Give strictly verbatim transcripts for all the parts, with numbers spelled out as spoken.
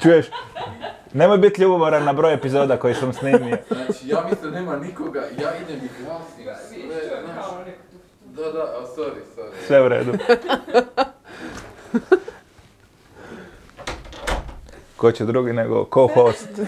Čuješ? Nemoj biti ljubomoran na broj epizoda koji sam snimio. Znači, ja mislim da nema nikoga, ja idem i glasim sve, znaš. Da, da, oh, sorry, sorry. Sve u redu. Ko će drugi nego co-host.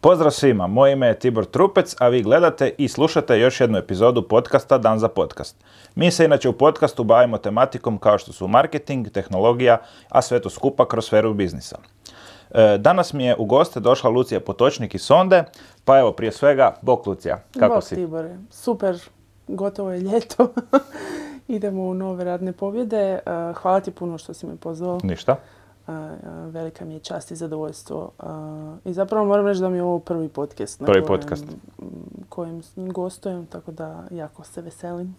Pozdrav svima, moje ime je Tibor Trupec, a vi gledate i slušate još jednu epizodu podcasta Dan za podcast. Mi se inače u podcastu bavimo tematikom kao što su marketing, tehnologija, a sve to skupa kroz sferu biznisa. Danas mi je u goste došla Lucija Potočnik iz Sonde, pa evo prije svega, bok Lucija, kako bok, si? Tibore, super, gotovo je ljeto, idemo u nove radne pobjede, hvala ti puno što si me pozvao. Ništa. Velika mi je čast i zadovoljstvo i zapravo moram reći da mi je ovo prvi podcast na prvi kojem, podcast. kojem gostujem, tako da jako se veselim.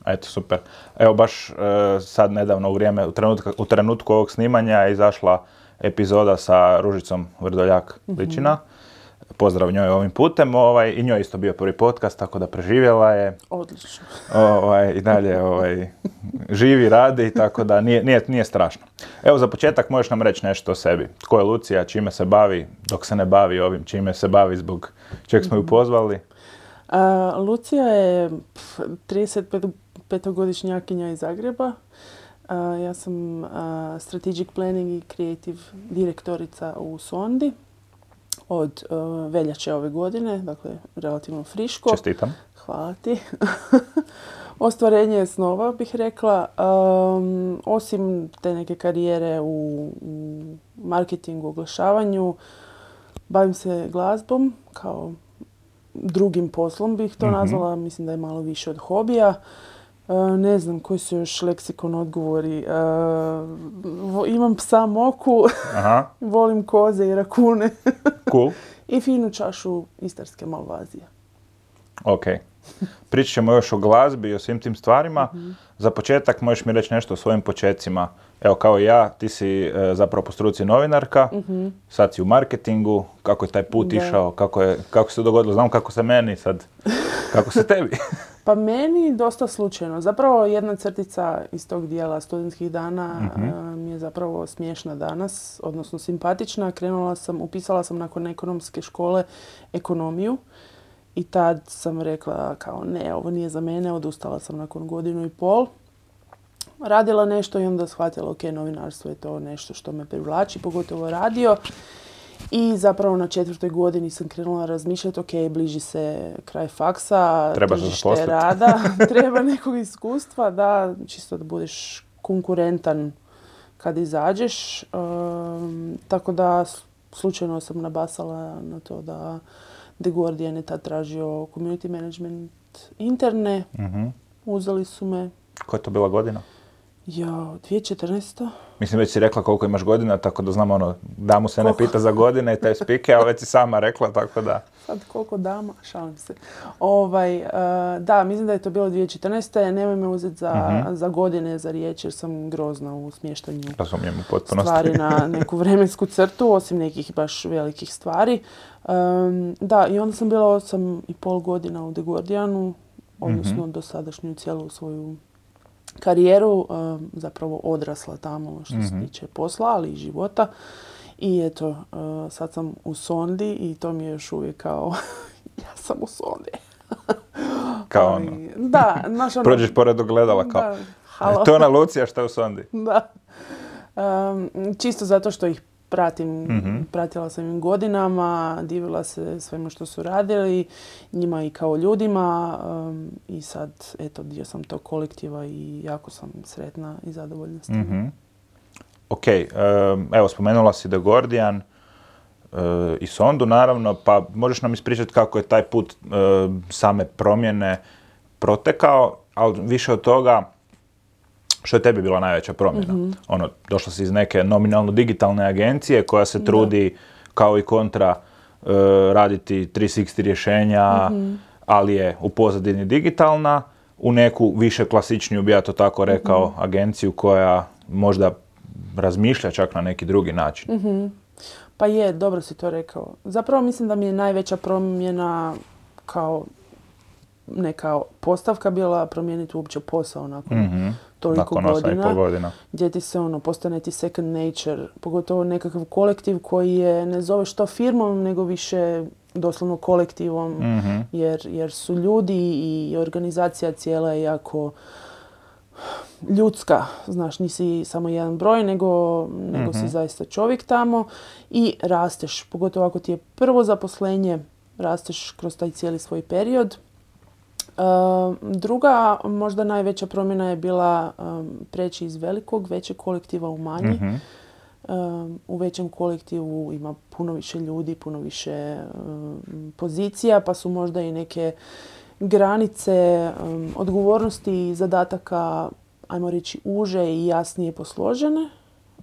Eto, super. Evo baš e, sad nedavno u vrijeme, u trenutku, u trenutku ovog snimanja je izašla epizoda sa Ružicom Vrdoljak Ličina. Mm-hmm. Pozdrav njoj ovim putem. Ovaj, I njoj isto bio prvi podcast, tako da preživjela je. Odlično. Ovaj, I dalje ovaj, živi, radi, tako da nije, nije, nije strašno. Evo za početak možeš nam reći nešto o sebi. Tko je Lucija, čime se bavi, dok se ne bavi ovim, čime se bavi, zbog čeg smo ju pozvali? Uh, Lucija je trideset petogodišnjakinja iz Zagreba. Uh, ja sam uh, Strategic Planning i Creative direktorica u Sondi od uh, veljače ove godine, dakle relativno friško. Čestitam. Hvala ti. Ostvarenje snova, bih rekla. Um, osim te neke karijere u, u marketingu, oglašavanju, bavim se glazbom kao drugim poslom bih to mm-hmm. nazvala. Mislim da je malo više od hobija. Uh, ne znam koji su još leksikon odgovori. Uh, imam psa Moku, Aha. volim koze i rakune. Cool. I finu čašu istarske malvazije. Ok. Pričat ćemo još o glazbi i o svim tim stvarima. Mm-hmm. Za početak možeš mi reći nešto o svojim počecima. Evo kao i ja, ti si e, zapravo po struci novinarka, mm-hmm. sad si u marketingu. Kako je taj put da. išao? Kako, je, kako se dogodilo? Znam kako se meni sad. Kako se tebi? Pa meni dosta slučajno. Zapravo jedna crtica iz tog dijela studentskih dana mm-hmm. mi je zapravo smiješna danas, odnosno simpatična. Krenula sam, upisala sam nakon ekonomske škole ekonomiju i tad sam rekla kao ne, ovo nije za mene, odustala sam nakon godinu i pol. Radila nešto i onda shvatila ok, novinarstvo je to nešto što me privlači, pogotovo radio. I zapravo na četvrtoj godini sam krenula razmišljati, ok, bliži se kraj faksa, treba tržište rada, treba nekog iskustva, da, čisto da budeš konkurentan kad izađeš. Um, tako da slučajno sam nabasala na to da The Guardian je tad tražio community management interne. Mm-hmm. Uzeli su me. Koja je to bila godina? Ja, dvije tisuće četrnaesta. Mislim, već si rekla koliko imaš godina, tako da znam ono, damu se koliko? Ne pita za godine i te spike, ali već si sama rekla, tako da... Sad koliko dama, šalim se. Ovaj, uh, da, mislim da je to bilo dvije tisuće četrnaesta. Nemoj me uzeti za, mm-hmm. za godine, za riječ, jer sam grozna u smještanju stvari na neku vremensku crtu, osim nekih baš velikih stvari. Um, da, i onda sam bila osam i pol godina u The Guardianu, odnosno mm-hmm. dosadašnju cijelu svoju karijeru, um, zapravo odrasla tamo što mm-hmm. se tiče posla, ali i života. I eto, uh, sad sam u Sondi i to mi je još uvijek kao, ja sam u Sondi. Kao ono. Da, znaš ono. Prođeš pored ogledala kao, da, halo. To je ona Lucija što je u Sondi. Da. Um, čisto zato što ih pratim, mm-hmm. pratila sam im godinama, divila se svemu što su radili, njima i kao ljudima um, i sad, eto, dio sam tog kolektiva i jako sam sretna i zadovoljna s tim. Mm-hmm. Ok, um, evo, spomenula si The Guardian uh, i Sondu, naravno, pa možeš nam ispričati kako je taj put uh, same promjene protekao, ali više od toga, što je tebi bila najveća promjena? Mm-hmm. Ono, došla si iz neke nominalno digitalne agencije koja se trudi, da. kao i kontra, uh, raditi tri šezdeset rješenja, mm-hmm. ali je u pozadini digitalna, u neku više klasičniju, bi ja to tako rekao, mm-hmm. agenciju koja možda razmišlja čak na neki drugi način. Mm-hmm. Pa je, dobro si to rekao. Zapravo mislim da mi je najveća promjena kao neka postavka bila promijeniti uopće posao nakon mm-hmm. toliko nakon godina, godina, gdje ti se ono, postane ti second nature, pogotovo nekakav kolektiv koji je, ne zoveš to firmom, nego više doslovno kolektivom, mm-hmm. jer, jer su ljudi i organizacija cijela je jako ljudska, znaš, nisi samo jedan broj, nego, nego mm-hmm. si zaista čovjek tamo i rasteš, pogotovo ako ti je prvo zaposlenje, rasteš kroz taj cijeli svoj period. Uh, druga, možda najveća promjena je bila um, preći iz velikog, većeg kolektiva u manji. Mm-hmm. Um, u većem kolektivu ima puno više ljudi, puno više um, pozicija, pa su možda i neke granice um, odgovornosti i zadataka, ajmo reći, uže i jasnije posložene.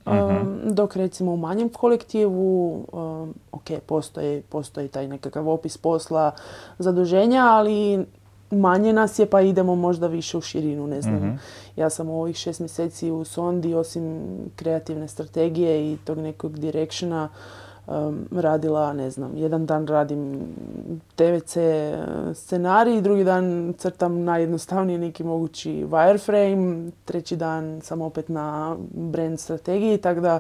Um, mm-hmm. Dok recimo u manjem kolektivu, um, ok, postoji, postoji taj nekakav opis posla, zaduženja, ali manje nas je pa idemo možda više u širinu, ne znam. Mm-hmm. Ja sam u ovih šest mjeseci u Sondi, osim kreativne strategije i tog nekog directiona, um, radila, ne znam, jedan dan radim te ve ce scenarij, drugi dan crtam najjednostavniji neki mogući wireframe, treći dan sam opet na brand strategiji, tako da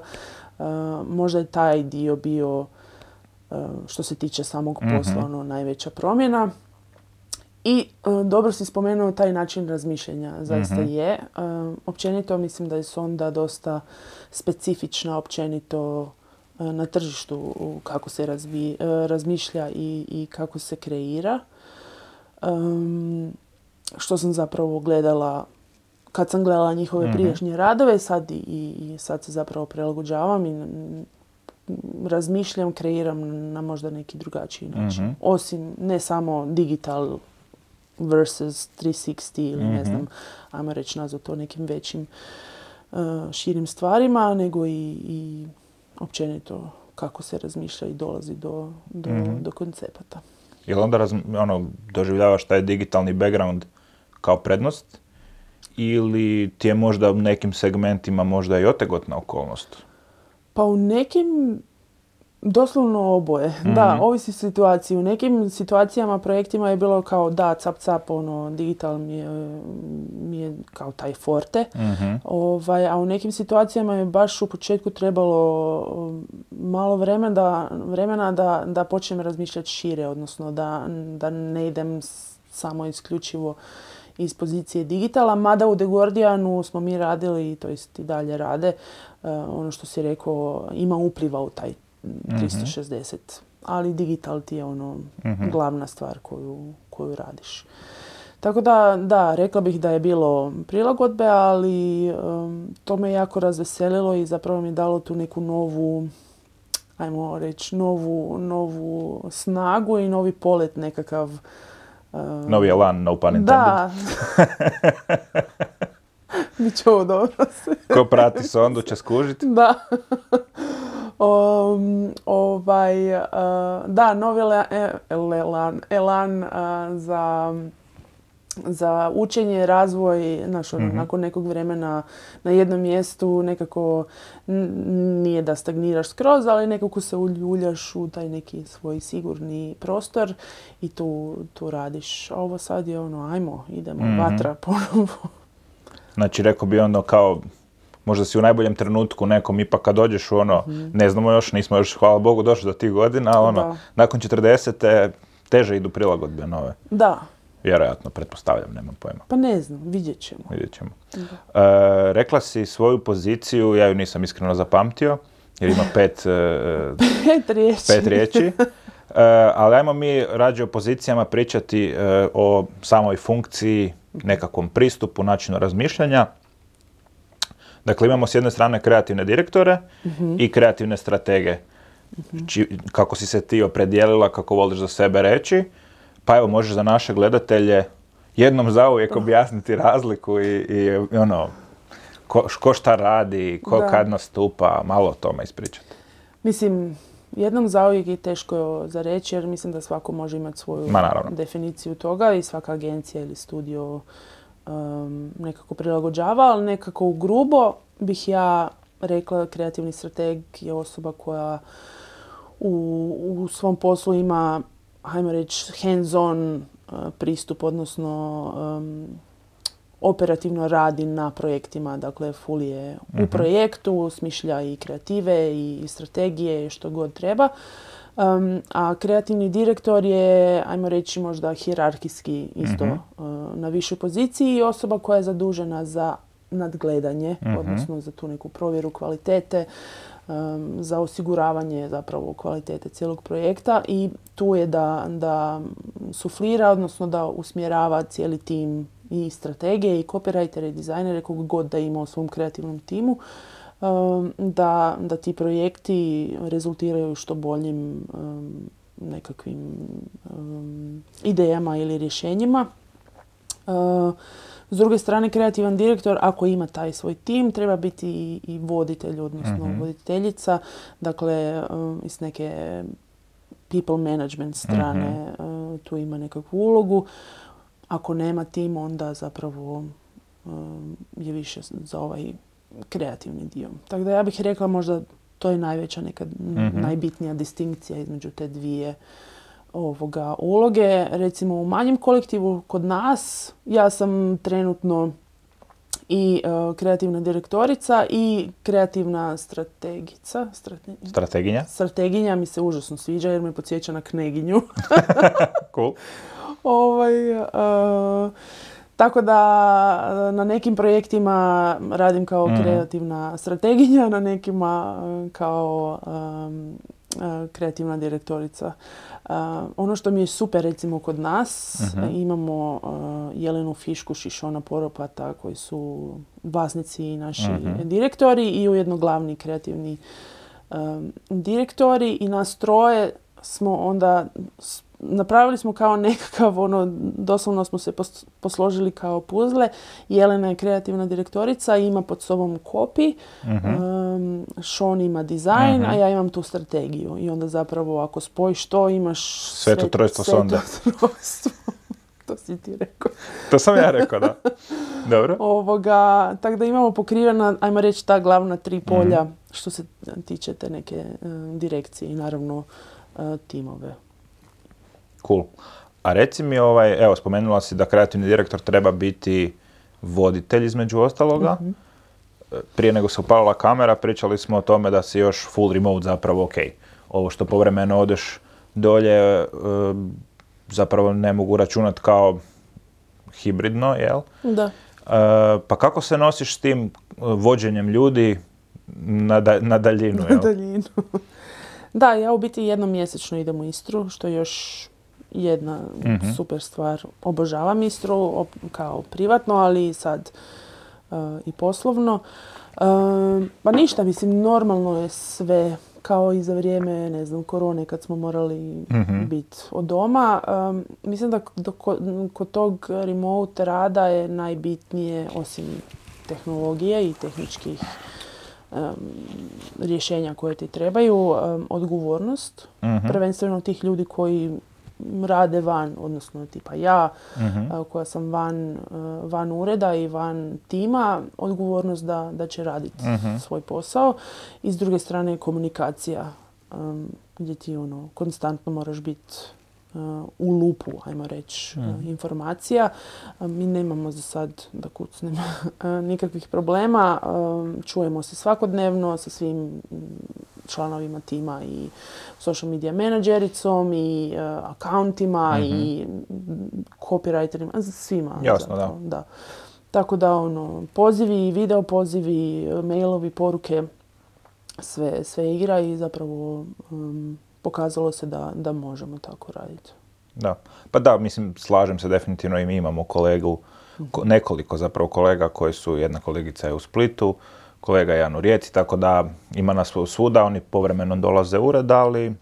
uh, možda je taj dio bio, uh, što se tiče samog posla, mm-hmm. ono, najveća promjena. I uh, dobro si spomenuo taj način razmišljanja, zaista mm-hmm. je. Uh, općenito mislim da je Sonda dosta specifična općenito uh, na tržištu kako se razvi, uh, razmišlja i, i kako se kreira. Um, što sam zapravo gledala, kad sam gledala njihove mm-hmm. prijašnje radove, sad i, i sad se zapravo prilagođavam i razmišljam, kreiram na možda neki drugačiji način. Mm-hmm. Osim ne samo digital versus tristo šezdeset ili mm-hmm. ne znam, ajmo reći nazvat to nekim većim uh, širim stvarima, nego i, i općenito kako se razmišlja i dolazi do, do, mm-hmm. do koncepata. Jel onda raz, ono, doživljavaš taj digitalni background kao prednost ili ti je možda u nekim segmentima možda i otegotna okolnost? Pa u nekim doslovno oboje. Mm-hmm. Da, ovisi situaciji. U nekim situacijama, projektima je bilo kao da, cap cap, ono, digital mi je, mi je kao taj forte. Mm-hmm. Ovaj, a u nekim situacijama je baš u početku trebalo malo vremena da, vremena da, da počnem razmišljati šire, odnosno da, da ne idem samo isključivo iz pozicije digitala, mada u The Guardianu smo mi radili, to jest i dalje rade, uh, ono što si rekao, ima upliva u taj tristo šezdeset, mm-hmm. ali digital ti je ono mm-hmm. glavna stvar koju, koju radiš. Tako da, da, rekla bih da je bilo prilagodbe, ali um, to me jako razveselilo i zapravo mi je dalo tu neku novu, ajmo reći, novu, novu snagu i novi polet nekakav. Um, novi elan, no pun intended. Da. Biće ovo dobro. Ko prati Sondu će skužiti. Da. Um, ovaj, uh, da, novi le, elan, elan uh, za, za učenje, razvoj, znaš, mm-hmm. nakon nekog vremena na jednom mjestu nekako n- nije da stagniraš skroz, ali nekako se uljuljaš u taj neki svoj sigurni prostor i tu, tu radiš. A ovo sad je ono, ajmo, idemo, mm-hmm. vatra ponovo. Znači, rekao bi ono kao, možda si u najboljem trenutku nekom, ipak kad dođeš u ono, mm-hmm. ne znamo još, nismo još, hvala Bogu, došli do tih godina, ali ono, da. Nakon četrdesete teže idu prilagodbe nove. Da. Vjerojatno, pretpostavljam, nemam pojma. Pa ne znam, vidjet ćemo. Vidjet ćemo. E, rekla si svoju poziciju, ja ju nisam iskreno zapamtio, jer ima pet, e, pet riječi. Pet riječi. E, ali ajmo mi rađe o pozicijama pričati e, o samoj funkciji, nekakvom pristupu, načinu razmišljanja. Dakle, imamo s jedne strane kreativne direktore mm-hmm. i kreativne stratege. Mm-hmm. Či, kako si se ti opredijelila, kako voliš za sebe reći. Pa evo, možeš za naše gledatelje jednom zauvijek objasniti razliku i, i ono, ko, ko šta radi, ko da. Kad nastupa, malo o tome ispričati. Mislim, jednom zauvijek je teško za reći, jer mislim da svako može imati svoju definiciju toga i svaka agencija ili studio um, nekako prilagođava, ali nekako u grubo bih ja rekla kreativni strateg je osoba koja u, u svom poslu ima, hajmo reći, hands-on pristup, odnosno um, operativno radi na projektima, dakle full je u projektu, smišlja i kreative i strategije i što god treba. Um, a kreativni direktor je, ajmo reći, možda hijerarhijski isto uh, na višoj poziciji i osoba koja je zadužena za nadgledanje, uh-huh. odnosno za tu neku provjeru kvalitete, um, za osiguravanje zapravo kvalitete cijelog projekta i tu je da, da suflira, odnosno da usmjerava cijeli tim i strategije i copywritere i dizajnere, kog god da ima u svom kreativnom timu, um, da, da ti projekti rezultiraju što boljim um, nekakvim um, idejama ili rješenjima. Uh, S druge strane, kreativan direktor, ako ima taj svoj tim, treba biti i, i voditelj, odnosno mm-hmm. voditeljica, dakle, um, iz neke people management strane mm-hmm. uh, tu ima nekakvu ulogu. Ako nema tim, onda zapravo um, je više za ovaj kreativni dio. Tako da ja bih rekla možda to je najveća, neka mm-hmm. najbitnija distinkcija između te dvije ovoga uloge. Recimo u manjem kolektivu kod nas ja sam trenutno i uh, kreativna direktorica i kreativna strategica. Strate... Strateginja? Strateginja mi se užasno sviđa jer me podsjeća na kneginju. Cool. ovaj, uh, tako da na nekim projektima radim kao mm-hmm. kreativna strateginja, na nekima uh, kao um, uh, kreativna direktorica. Uh, ono što mi je super recimo kod nas, uh-huh. imamo uh, Jelenu Fiškuš i Šona Poropata koji su vlasnici i naši uh-huh. direktori i ujedno glavni kreativni um, direktori i nas troje smo onda napravili smo kao nekakav, ono, doslovno smo se pos- posložili kao puzle. Jelena je kreativna direktorica, ima pod sobom copy, uh-huh. um, Sean ima dizajn, uh-huh. a ja imam tu strategiju. I onda zapravo ako spojiš to, imaš sveto trojstvo sonda. To si ti rekao. To sam ja rekao, da. Dobro. Ovoga, tako da imamo pokrivena, ajmo reći, ta glavna tri polja mm. što se tiče te neke uh, direkcije i naravno uh, timove. Cool. A reci mi, ovaj, evo, spomenula si da kreativni direktor treba biti voditelj između ostaloga. Mm-hmm. Prije nego se upalila kamera, pričali smo o tome da si još full remote zapravo ok. Ovo što povremeno odeš dolje, uh, zapravo ne mogu računati kao hibridno, jel? Da. Uh, pa kako se nosiš s tim vođenjem ljudi na, da, na daljinu, jel? Na daljinu. Da, ja u biti jednom mjesečno idem u Istru, što je još jedna mm-hmm. super stvar. Obožavam Istru op, kao privatno, ali sad uh, i poslovno. Uh, pa ništa, mislim, normalno je sve kao i za vrijeme, ne znam, korone kad smo morali mm-hmm. biti od doma. Um, mislim da do, kod tog remote rada je najbitnije, osim tehnologije i tehničkih um, rješenja koje ti trebaju, um, odgovornost. Mm-hmm. Prvenstveno tih ljudi koji rade van, odnosno tipa ja, mm-hmm. uh, koja sam van, uh, van ureda i van tima, odgovornost da, da će raditi mm-hmm. svoj posao. I s druge strane komunikacija, um, gdje ti ono, konstantno moraš biti uh, u lupu, ajmo reći, mm. uh, informacija. Uh, mi nemamo za sad, da kucnem, uh, nikakvih problema. Um, čujemo se svakodnevno sa svim članovima tima i social media menadžericom i uh, akauntima mm-hmm. i copywriterima, svima. Jasno, da. da. Tako da, ono, pozivi, video pozivi, mailovi, poruke, sve, sve igra i zapravo um, pokazalo se da, da možemo tako raditi. Da. Pa da, mislim, slažem se definitivno i mi imamo kolegu, ko, nekoliko zapravo kolega koji su, jedna kolegica je u Splitu, kolega Jan u Rijeci, tako da ima nas svuda, oni povremeno dolaze u ured, ali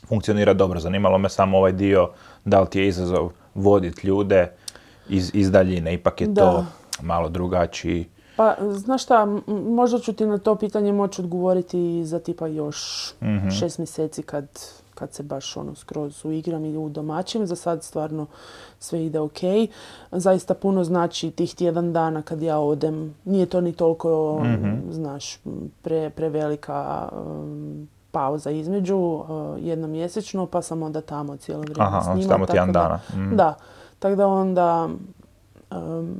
funkcionira dobro. Zanimalo me samo ovaj dio, da li ti je izazov voditi ljude iz, iz daljine, ipak je da. To malo drugačiji. Pa, znaš šta, možda ću ti na to pitanje moći odgovoriti za tipa još mm-hmm. šest mjeseci kad, kad se baš ono skroz uigram i u domaćim. Za sad stvarno sve ide ok. Zaista puno znači tih tjedan dana kad ja odem. Nije to ni toliko, mm-hmm. znaš, pre, prevelika um, pauza između, uh, jednomjesečno, pa sam onda tamo cijelo vrijeme Aha, s njima. tamo tjedan da, dana. Mm. Da, tako da onda, um,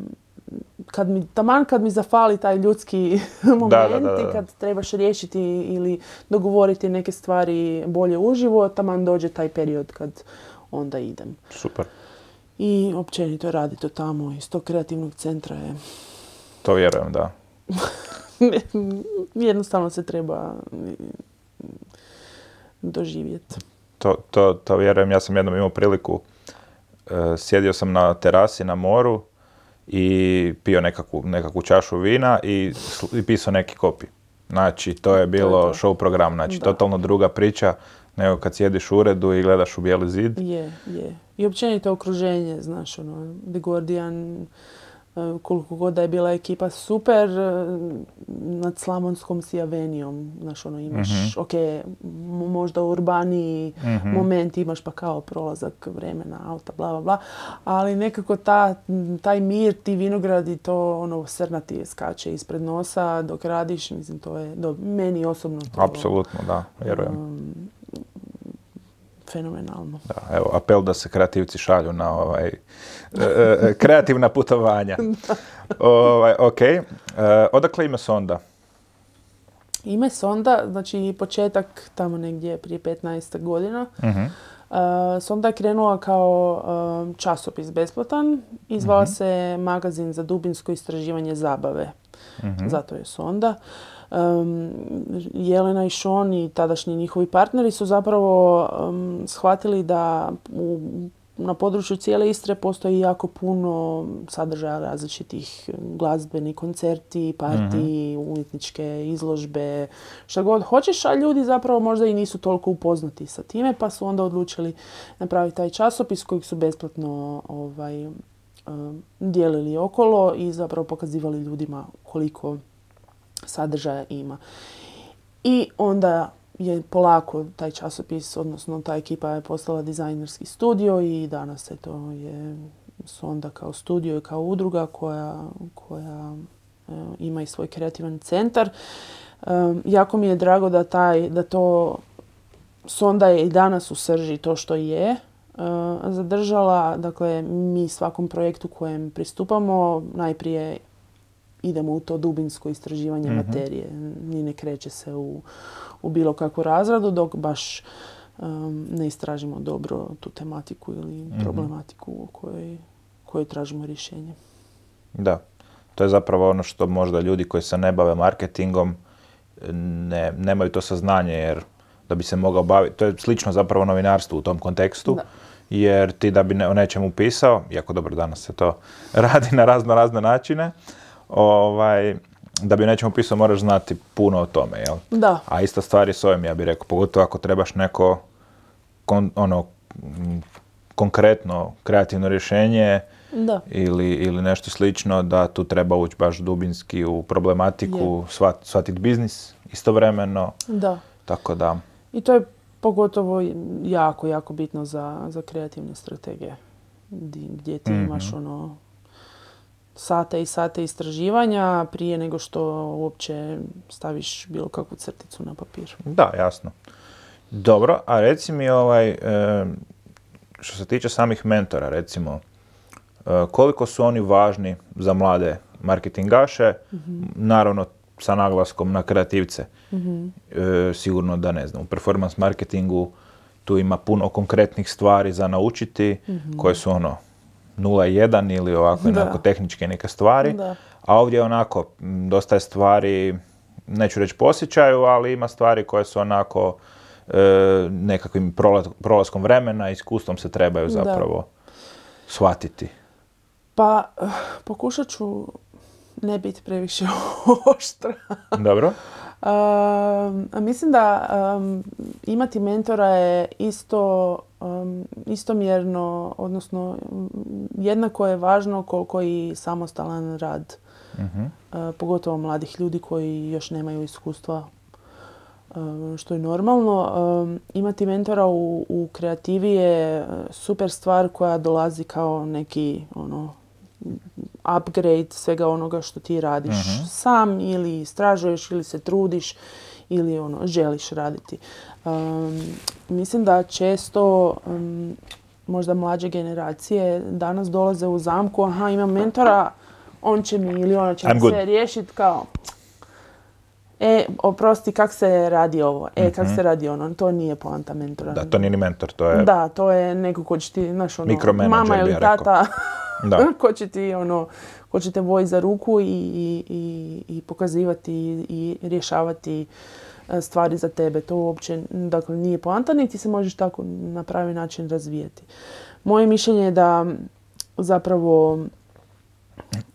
kad mi, taman kad mi zafali taj ljudski moment da, da, da, da. i kad trebaš riješiti ili dogovoriti neke stvari bolje uživo, taman dođe taj period kad onda idem. Super. I općenito raditi to tamo iz tog kreativnog centra je... To vjerujem, da. Jednostavno se treba doživjeti. To, to, to vjerujem. Ja sam jednom imao priliku, uh, sjedio sam na terasi na moru i pio nekakvu, nekakvu čašu vina i, i pisao neki kopi. Znači, to je bilo to je to. Show program. Znači, da. Totalno druga priča nego kad sjediš u uredu i gledaš u bijeli zid. Je, je. I općenito okruženje, znaš, ono, The Guardian, koliko god da je bila ekipa super, nad Slavonskom si avenijom, znaš, ono, imaš, mm-hmm. ok, možda urbaniji mm-hmm. moment imaš pa kao prolazak vremena, auta, bla, bla, bla, ali nekako ta, taj mir, ti vinogradi, to ono, srna ti skače ispred nosa dok radiš, mislim, to je, do, meni osobno to... Apsolutno, da, vjerujem. Um, fenomenalno. Da, evo, apel da se kreativci šalju na ovaj, e, e, kreativna putovanja. ovaj, ok. E, odakle ime Sonda? Ime Sonda, znači početak tamo negdje prije petnaest godina. Uh-huh. Uh, Sonda je krenula kao uh, časopis besplatan i zvala uh-huh. se Magazin za dubinsko istraživanje zabave. Uh-huh. Zato je Sonda. Um, Jelena i Sean i tadašnji njihovi partneri su zapravo um, shvatili da u, na području cijele Istre postoji jako puno sadržaja različitih, glazbeni koncerti, partiji, mm-hmm. umjetničke izložbe, šta god hoćeš, a ljudi zapravo možda i nisu toliko upoznati sa time, pa su onda odlučili napraviti taj časopis kojeg su besplatno ovaj, um, dijelili okolo i zapravo pokazivali ljudima koliko sadržaja ima. I onda je polako taj časopis, odnosno ta ekipa je postala dizajnerski studio i danas je to je Sonda kao studio i kao udruga koja, koja e, ima i svoj kreativan centar. E, jako mi je drago da, taj, da to Sonda je i danas u srži to što je e, zadržala. Dakle, mi svakom projektu kojem pristupamo najprije idemo u to dubinsko istraživanje mm-hmm. materije. Ni ne kreće se u, u bilo kakvu razradu dok baš um, ne istražimo dobro tu tematiku ili mm-hmm. problematiku o kojoj, kojoj tražimo rješenje. Da, to je zapravo ono što možda ljudi koji se ne bave marketingom ne, nemaju to saznanje jer da bi se mogao baviti, to je slično zapravo novinarstvu u tom kontekstu. Da. Jer ti da bi ne, o nečemu pisao, iako dobro danas se to radi na razno razne načine, Ovaj, da bi o nečemu pisao moraš znati puno o tome, jel? Da. A ista stvar je s ovim, ja bih rekao, pogotovo ako trebaš neko kon, ono, konkretno kreativno rješenje da. Ili, ili nešto slično, da tu treba ući baš dubinski u problematiku, shvat, shvatiti biznis istovremeno. Da. Tako da. I to je pogotovo jako, jako bitno za, za kreativne strategije, gdje ti mm-hmm. imaš ono sate i sate istraživanja prije nego što uopće staviš bilo kakvu crticu na papir. Da, jasno. Dobro, a reci mi ovaj, što se tiče samih mentora, recimo, koliko su oni važni za mlade marketingaše, mm-hmm. naravno sa naglaskom na kreativce. Mm-hmm. E, sigurno da ne znam, u performance marketingu tu ima puno konkretnih stvari za naučiti, mm-hmm. koje su ono nula jedan ili ovako onako tehničke neke stvari, da. A ovdje onako dosta je stvari, neću reći po osjećaju, ali ima stvari koje su onako e, nekakvim prolaskom vremena, iskustvom se trebaju zapravo da. Shvatiti. Pa pokušat ću ne biti previše oštra. Dobro. Um, mislim da um, imati mentora je isto um, istomjerno, odnosno jednako je važno koliko i samostalan rad. Uh-huh. Uh, pogotovo mladih ljudi koji još nemaju iskustva, um, što je normalno. Um, imati mentora u, u kreativi je super stvar koja dolazi kao neki ono, upgrade svega onoga što ti radiš uh-huh. sam ili istražuješ ili se trudiš ili ono, želiš raditi. Um, mislim da često um, možda mlađe generacije danas dolaze u zamku, aha, imam mentora, on će mi ili ona će mi sve riješiti kao e, oprosti, kak se radi ovo, e, mm-hmm. kak se radi ono, to nije poanta mentora. Da, to nije ni mentor, to je... Da, to je neko ko će ti, znaš, ono, mama ili tata, ko će ti, ono, ko će te vojiti za ruku i, i, i, i pokazivati i, i rješavati stvari za tebe. To uopće, dakle, nije poanta, niti se možeš tako na pravi način razvijati. Moje mišljenje je da zapravo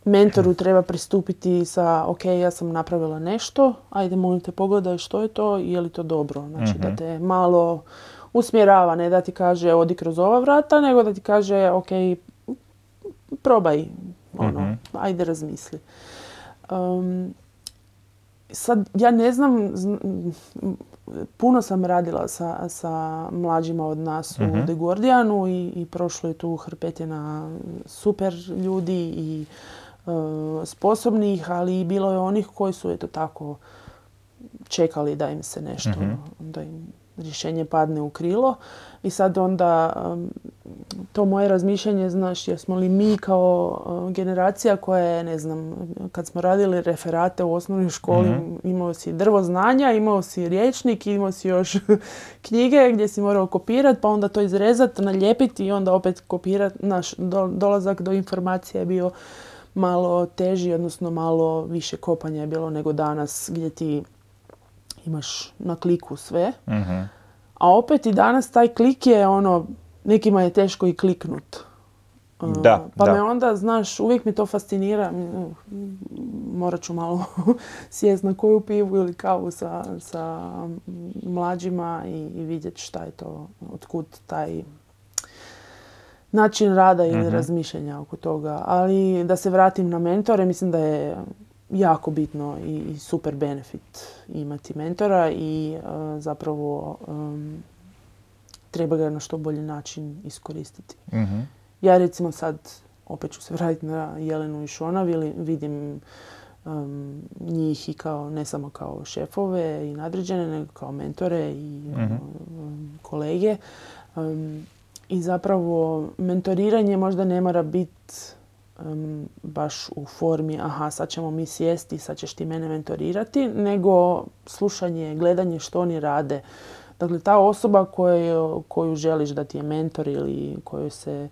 mentoru treba pristupiti sa, ok, ja sam napravila nešto, ajde molim te pogledaj što je to i je li to dobro. Znači mm-hmm. da te malo usmjerava, ne da ti kaže odi kroz ova vrata, nego da ti kaže, ok, probaj, ono, mm-hmm. ajde razmisli. Um, sad, ja ne znam, puno sam radila sa, sa mlađima od nas mm-hmm. u The Guardianu i, i prošlo je tu hrpetina super ljudi i uh, sposobnih, ali i bilo je onih koji su eto tako čekali da im se nešto, mm-hmm. da im rješenje padne u krilo. I sad onda um, to moje razmišljanje, znaš, jesmo li mi kao uh, generacija koja je, ne znam, kad smo radili referate u osnovnoj školi, mm-hmm. imao si drvo znanja, imao si rječnik, imao si još knjige gdje si morao kopirati, pa onda to izrezati, nalijepiti i onda opet kopirati. Naš do, dolazak do informacije je bio malo teži, odnosno malo više kopanja je bilo nego danas gdje ti imaš na kliku sve. Mm-hmm. A opet i danas taj klik je ono, nekima je teško i kliknut. Da, pa da. me onda, znaš, uvijek mi to fascinira. Morat ću malo sjest na koju pivu ili kavu sa, sa mlađima i, i vidjeti šta je to, otkud taj način rada ili mm-hmm. razmišljanja oko toga. Ali da se vratim na mentore, mislim da je jako bitno i, i super benefit imati mentora i uh, zapravo um, treba ga na što bolji način iskoristiti. Mm-hmm. Ja recimo sad, opet ću se vratiti na Jelenu i Šona, vidim um, njih i kao, ne samo kao šefove i nadređene, nego kao mentore i mm-hmm. um, kolege. Um, I zapravo mentoriranje možda ne mora biti Um, baš u formi aha, sad ćemo mi sjesti, sad ćeš ti mene mentorirati, nego slušanje, gledanje što oni rade. Dakle, ta osoba koju, koju želiš da ti je mentor ili koju se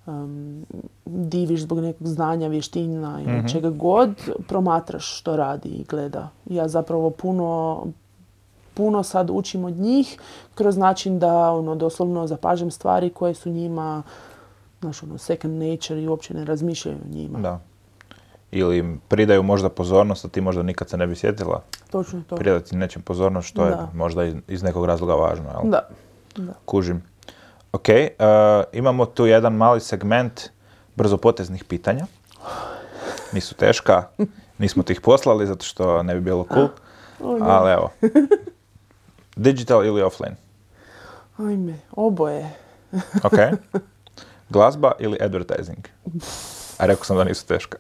um, diviš zbog nekog znanja, vještina ili mm-hmm. čega god, promatraš što radi i gleda. Ja zapravo puno, puno sad učim od njih kroz način da ono, doslovno zapažem stvari koje su njima znaš, ono, second nature i uopće ne razmišljaju o njima. Da. Ili im pridaju možda pozornost, a ti možda nikad se ne bi sjetila. Točno to. Pridati nečem pozornost što da. je možda iz, iz nekog razloga važno. Jel? Da. da. Kužim. Ok, uh, imamo tu jedan mali segment brzopoteznih pitanja. Nisu teška, nismo ti ih poslali zato što ne bi bilo cool. Oh, ali evo. Digital ili offline? Ajme, oboje. Ok. Glazba ili advertising? A rekao sam da nisu teška.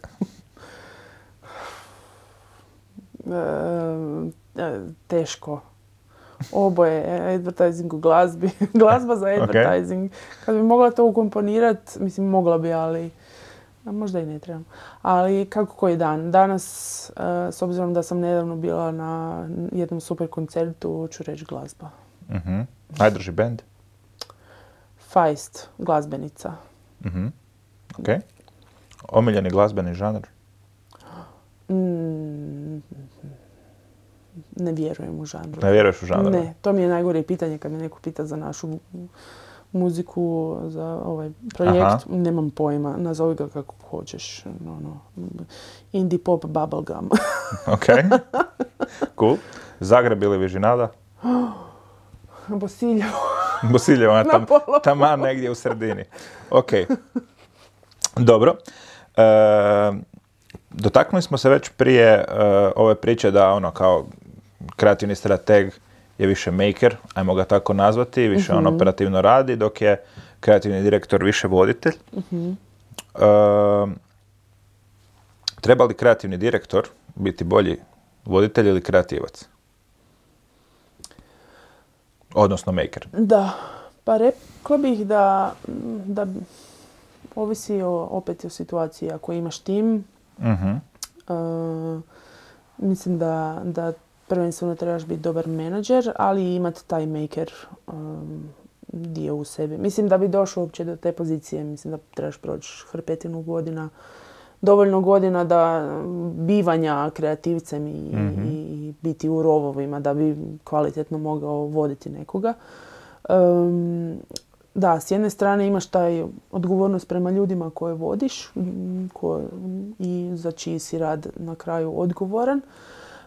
e, teško. Oboje, advertising u glazbi. Glazba za advertising. Okay. Kad bi mogla to ukomponirati, mislim mogla bi, ali možda i ne trebam. Ali kako koji dan? Danas, s obzirom da sam nedavno bila na jednom super koncertu, ću reći glazba. Mm-hmm. Najdrži band? Feist, glazbenica. Mm-hmm. Ok. Omiljeni glazbeni žanr? Mm, ne vjerujem u žanru. Ne vjeruješ u žanru? Ne, to mi je najgore pitanje kad me neko pita za našu muziku, za ovaj projekt. Aha. Nemam pojma, nazovi ga kako hoćeš. Ono, indie pop, bubblegum. Ok, cool. Zagreb ili Vižinada? Bosiljevo. Bosiljevo, ona tam, taman negdje u sredini. Ok, dobro. E, dotaknuli smo se već prije e, ove priče da ono kao kreativni strateg je više maker, ajmo ga tako nazvati, više uh-huh. on operativno radi, dok je kreativni direktor više voditelj. Uh-huh. E, treba li kreativni direktor biti bolji voditelj ili kreativac? Odnosno maker. Da, pa rekla bih da, da ovisi o, opet o situaciji. Ako imaš tim, uh-huh. uh, mislim da, da prvenstveno trebaš biti dobar menadžer, ali i imati taj maker um, dio u sebi. Mislim da bi došao uopće do te pozicije, mislim da trebaš proći hrpetinu godina, dovoljno godina da bivanja kreativcem i, mm-hmm. i biti u rovovima da bi kvalitetno mogao voditi nekoga. Um, da, s jedne strane imaš taj odgovornost prema ljudima koje vodiš ko, i za čiji si rad na kraju odgovoran.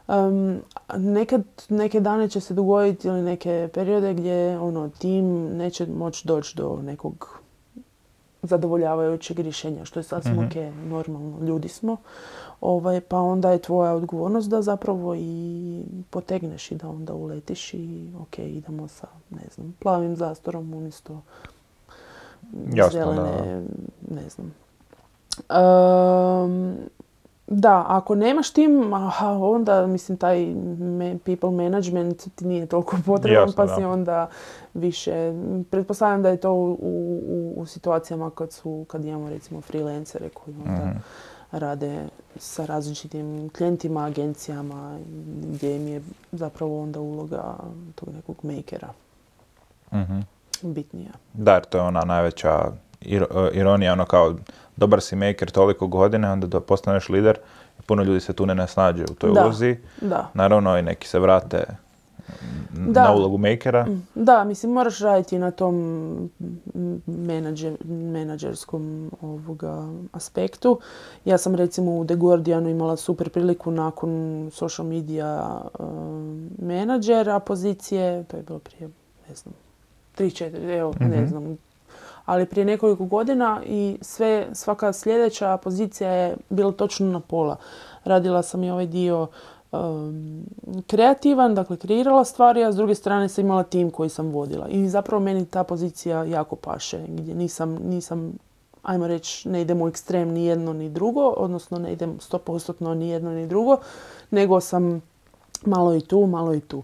Um, nekad, neke dane će se dogoditi ili neke periode gdje ono, tim neće moći doći do nekog zadovoljavajućeg rješenja, što je sasvim mm-hmm. ok, normalno, ljudi smo. Ovaj, pa onda je tvoja odgovornost da zapravo i potegneš i da onda uletiš i ok, idemo sa, ne znam, plavim zastorom umjesto Jasno, zelene, da. ne znam. Um, Da, ako nemaš tim, aha, onda mislim taj people management ti nije toliko potreban, Jasno, pa si da. onda više... Pretpostavljam da je to u, u, u situacijama kad, su, kad imamo recimo freelancere koji onda mm. rade sa različitim klijentima, agencijama, gdje im je zapravo onda uloga tog nekog makera mm-hmm. bitnija. Da, jer to je ona najveća ironija, ono kao dobar si maker toliko godine, onda da postaneš lider i puno ljudi se tu ne nasnađe u toj da, ulozi. Da. Naravno i neki se vrate da. na ulogu makera. Da, mislim moraš raditi na tom menadžer, menadžerskom ovoga aspektu. Ja sam recimo u The Guardianu imala super priliku nakon social media uh, menadžera pozicije, to je bilo prije, ne znam, tri, četiri, evo, mm-hmm. ne znam, ali prije nekoliko godina i sve, svaka sljedeća pozicija je bila točno na pola. Radila sam i ovaj dio um, kreativan, dakle kreirala stvari, a s druge strane sam imala tim koji sam vodila. I zapravo meni ta pozicija jako paše, gdje nisam, nisam ajmo reći, ne idem u ekstrem ni jedno ni drugo, odnosno ne idem sto posto ni jedno ni drugo, nego sam malo i tu, malo i tu.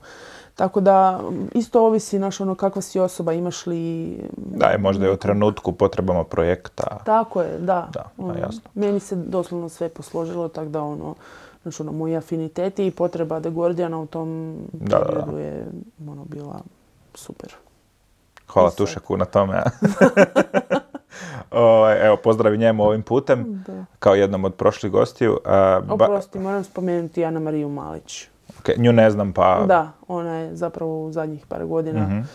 Tako da isto ovisi naš ono kakva si osoba, imaš li... Da, je možda i u trenutku potrebama projekta. Tako je, da. Da, ono, da jasno. Meni se doslovno sve posložilo, tako da ono, znači ono, moji afiniteti i potreba The Guardiana u tom da, periodu da. je ono, bila super. Hvala Tušaku na tome. o, evo, pozdravi njemu ovim putem, da. Kao jednom od prošlih gostiju. Uh, Oprosti, ba... moram spomenuti Ana Mariju Malić. Okay, nju ne znam pa... Da, ona je zapravo u zadnjih par godina mm-hmm.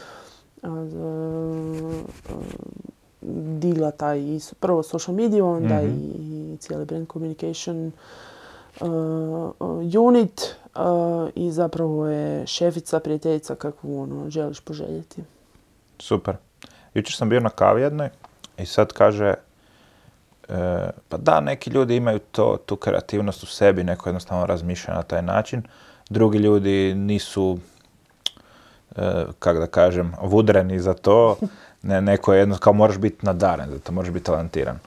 digla taj prvo social media, onda mm-hmm. i, i cijeli brand communication uh, unit uh, i zapravo je šefica, prijateljica kakvu ono, želiš poželjeti. Super. Jučer sam bio na kavi jednoj i sad kaže uh, pa da, neki ljudi imaju to, tu kreativnost u sebi, neko jednostavno razmišlja na taj način. Drugi ljudi nisu, e, kako da kažem, vudreni za to. Ne, neko je jedno, kao moraš biti nadaren za to, moraš biti talentiran.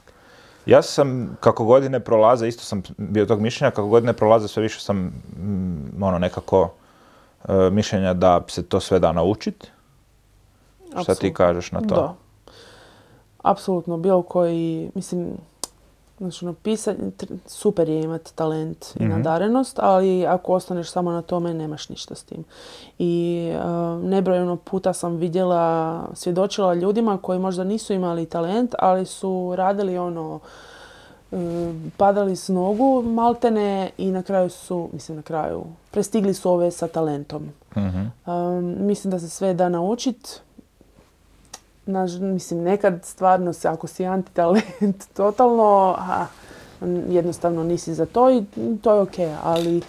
Ja sam, kako godine prolaze, isto sam bio tog mišljenja, kako godine prolaze, sve više sam mm, ono, nekako e, mišljenja da se to sve da naučiti. Šta ti kažeš na to? Da. Apsolutno, bilo koji, mislim... Znači, ono, pisanje, super je imati talent i mm-hmm. nadarenost, ali ako ostaneš samo na tome, nemaš ništa s tim. I uh, nebrojeno puta sam vidjela, svjedočila ljudima koji možda nisu imali talent, ali su radili ono, uh, padali s nogu maltene i na kraju su, mislim na kraju, prestigli su ove sa talentom. Mm-hmm. Um, mislim da se sve da naučiti. Naš, mislim, nekad stvarno se, ako si antitalent totalno, aha, jednostavno nisi za to i to je ok, ali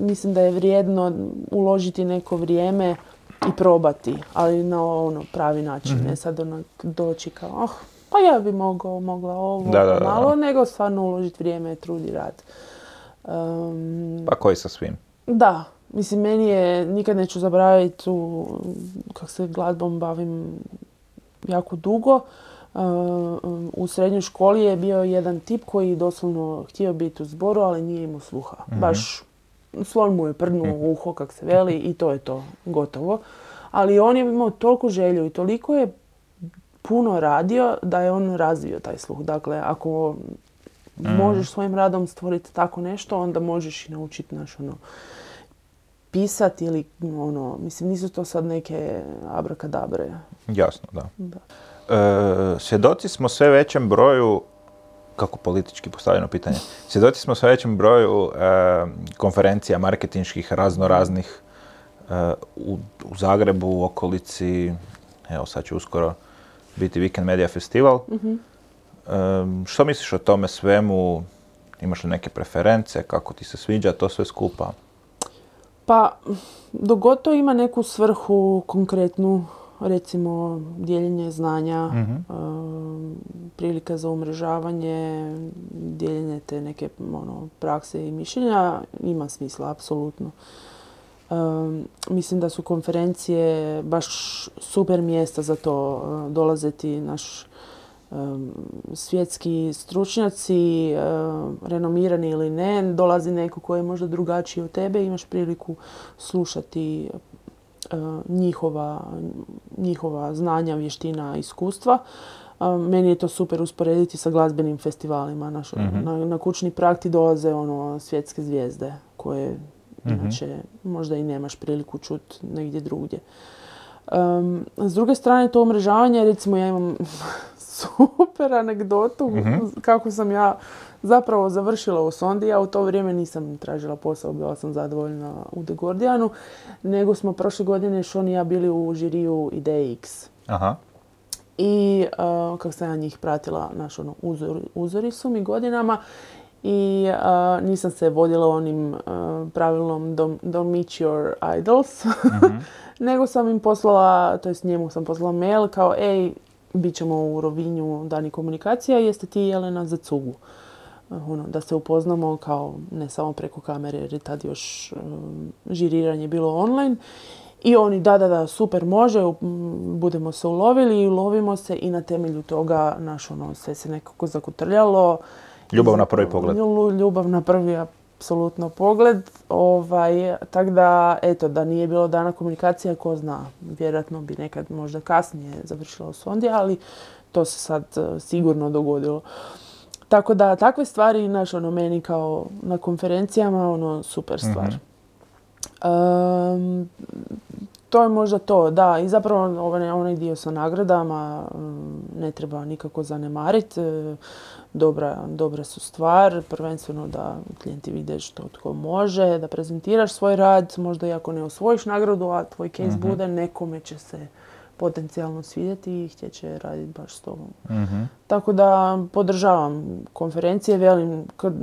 mislim da je vrijedno uložiti neko vrijeme i probati, ali na ono pravi način, mm-hmm. ne sad onak doći kao, oh, pa ja bi mogao, mogla ovo da, da, malo, da. nego stvarno uložiti vrijeme, trud i rad. Um, pa koji sa svim? Da. Mislim, meni je, nikad neću zaboraviti tu, kako se glazbom bavim jako dugo. U srednjoj školi je bio jedan tip koji doslovno htio biti u zboru, ali nije imao sluha. Mm-hmm. Baš slon mu je prdnuo u uho, kak se veli, i to je to, gotovo. Ali on je imao toliko želju i toliko je puno radio da je on razvio taj sluh. Dakle, ako mm. možeš svojim radom stvoriti tako nešto, onda možeš i naučiti naš ono, pisati ili ono, mislim, nisu to sad neke abrakadabre. Jasno, da. da. E, svjedoci smo sve većem broju, kako politički postavljeno pitanje, svjedoci smo sve većem broju e, konferencija marketinških razno raznih e, u, u Zagrebu, u okolici, evo sad će uskoro biti Weekend Media Festival. Mm-hmm. E, što misliš o tome svemu? Imaš li neke preference? Kako ti se sviđa to sve skupa? Pa, dok god to ima neku svrhu konkretnu, recimo dijeljenje znanja, mm-hmm. uh, prilika za umrežavanje, dijeljenje te neke ono, prakse i mišljenja, ima smisla, apsolutno. Uh, mislim da su konferencije baš super mjesta za to. Uh, dolaze ti naš um, svjetski stručnjaci, uh, renomirani ili ne, dolazi neko koji je možda drugačiji od tebe, imaš priliku slušati njihova, njihova znanja, vještina, iskustva. Meni je to super usporediti sa glazbenim festivalima. Naš, mm-hmm. na, na kućni prag ti dolaze ono, svjetske zvijezde koje mm-hmm. inače možda i nemaš priliku čuti negdje drugdje. Um, s druge strane, to umrežavanje, recimo ja imam super anegdotu mm-hmm. kako sam ja zapravo završila u Sondi. Ja u to vrijeme nisam tražila posao, bila sam zadovoljna u The Guardianu, nego smo prošle godine Sean i ja bili u žiriju Ideje X. Aha. I uh, kako sam ja njih pratila, naš ono, uzor, uzori su mi godinama i uh, nisam se vodila onim uh, pravilom don't, don't meet your idols, mm-hmm. nego sam im poslala, to jest njemu sam poslala mail kao ej, bit ćemo u Rovinju dani komunikacija, jeste ti Jelena za cugu? Ono, da se upoznamo kao ne samo preko kamere jer je tad još um, žiriranje bilo online. I oni da, da, da, super može, budemo se ulovili i ulovimo se i na temelju toga naš ono, sve se nekako zakutrljalo. Ljubav na prvi pogled. Ljubav na prvi apsolutno pogled. Ovaj, tak da, eto, da nije bilo dana komunikacija, ko zna, vjerojatno bi nekad možda kasnije završila u Sondi, ali to se sad uh, sigurno dogodilo. Tako da, takve stvari, znaš, ono, meni kao na konferencijama, ono, super stvar. Mm-hmm. Um, to je možda to, da. I zapravo onaj, onaj dio sa nagradama um, ne treba nikako zanemariti. Dobra, dobra su stvar, prvenstveno da klijenti vide što tko može, da prezentiraš svoj rad, možda i ako ne osvojiš nagradu, a tvoj case mm-hmm. bude, nekome će se potencijalno svidjeti i htjeće raditi baš s tobom. Mm-hmm. Tako da podržavam konferencije, velim, kad,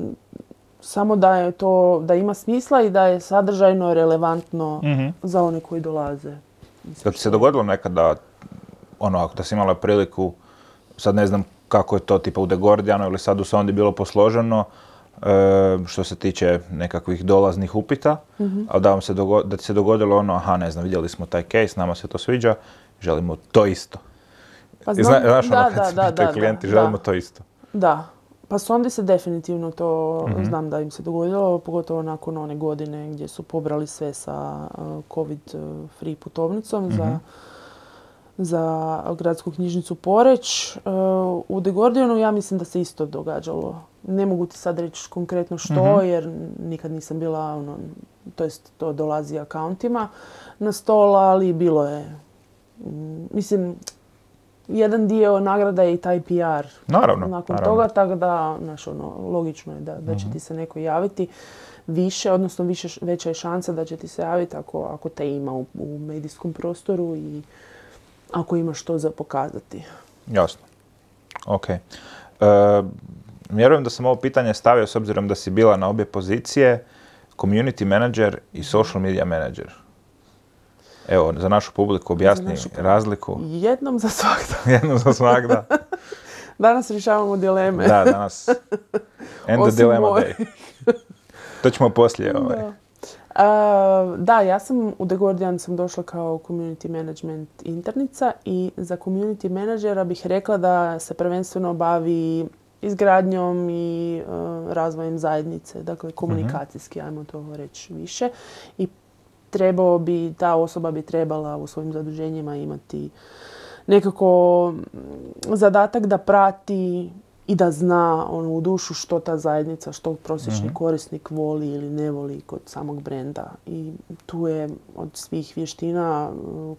samo da je to, da ima smisla i da je sadržajno relevantno mm-hmm. za one koji dolaze. Kad ti se dogodilo nekada, ono, ako da si imala priliku, sad ne znam kako je to tipa u The Guardianu ili sad u Sondi bilo posloženo, e, što se tiče nekakvih dolaznih upita, mm-hmm. ali da, vam se dogo- da ti se dogodilo ono, aha, ne znam, vidjeli smo taj case, nama se to sviđa, želimo to isto. Pa znam, Zna, znaš ono da, kad da, se da, pitaju da, klijenti, da, želimo da. to isto. Da, pa Sondi se definitivno to mm-hmm. znam da im se dogodilo, pogotovo nakon one godine gdje su pobrali sve sa uh, covid free putovnicom mm-hmm. za, za gradsku knjižnicu Poreć. Uh, u The Guardianu ja mislim da se isto događalo. Ne mogu ti sad reći konkretno što, mm-hmm. jer nikad nisam bila, ono, to jest to dolazi akauntima na stol, ali bilo je. Mislim, jedan dio nagrada je i taj P R. Naravno. Nakon naravno. toga, tako da, znaš, ono, logično je da, da će ti se neko javiti više, odnosno više, veća je šansa da će ti se javiti ako, ako te ima u, u medijskom prostoru i ako imaš što za pokazati. Jasno. Ok. E, vjerujem da sam ovo pitanje stavio s obzirom da si bila na obje pozicije, community manager i social media manager. Evo, za našu publiku objasni našu publiku. Razliku. Jednom za svakda. Jednom za svakda. Danas rješavamo dileme. Da, danas. End the dilemma day. To ćemo poslije. Ovaj. Da. Uh, da, ja sam u The Guardian sam došla kao community management internica i za community menadžera bih rekla da se prvenstveno bavi izgradnjom i uh, razvojem zajednice, dakle komunikacijski, mm-hmm. ajmo to reći više. I trebao bi, ta osoba bi trebala u svojim zaduženjima imati nekako zadatak da prati i da zna ono, u dušu što ta zajednica, što prosječni mm-hmm. korisnik voli ili ne voli kod samog brenda. I tu je od svih vještina,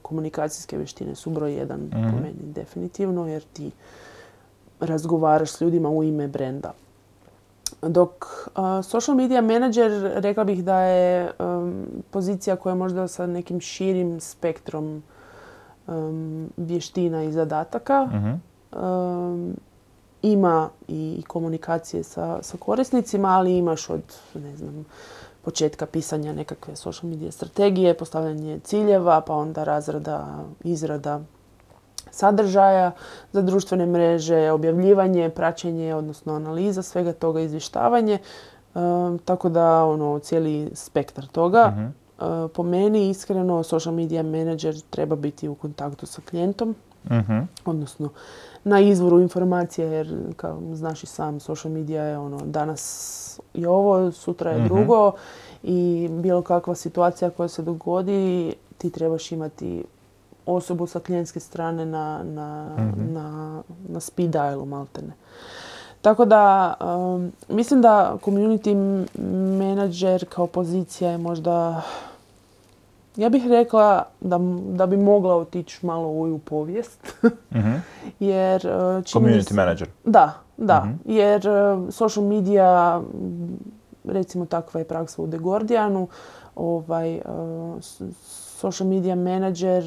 komunikacijske vještine su broj jedan mm-hmm. po meni definitivno, jer ti razgovaraš s ljudima u ime brenda. Dok uh, social media manager, rekla bih da je um, pozicija koja je možda sa nekim širim spektrom um, vještina i zadataka. Mm-hmm. Um, ima i komunikacije sa, sa korisnicima, ali imaš od, ne znam, početka pisanja nekakve social media strategije, postavljanje ciljeva, pa onda razrada, izrada sadržaja za društvene mreže, objavljivanje, praćenje, odnosno analiza svega toga, izvještavanje. E, tako da, ono, cijeli spektar toga. Mm-hmm. E, po meni, iskreno, social media manager treba biti u kontaktu sa klijentom, mm-hmm. odnosno na izvoru informacije, jer kao znaš i sam, social media je ono, danas je ovo, sutra je mm-hmm. drugo i bilo kakva situacija koja se dogodi, ti trebaš imati osobu sa klijentske strane na, na, mm-hmm. na, na speed dialu maltene. Tako da, um, mislim da community manager kao pozicija je možda, ja bih rekla da, da bi mogla otići malo u povijest. Mm-hmm. Jer, community manager? Da, da. Mm-hmm. Jer social media, recimo takva je praksa u The Guardianu, ovaj, social media manager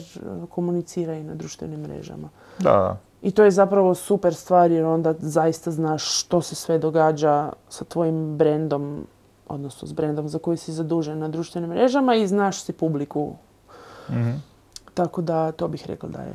komunicira i na društvenim mrežama. Da. I to je zapravo super stvar jer onda zaista znaš što se sve događa sa tvojim brendom, odnosno s brendom za koji si zadužen na društvenim mrežama i znaš si publiku. Mm-hmm. Tako da to bih rekla da je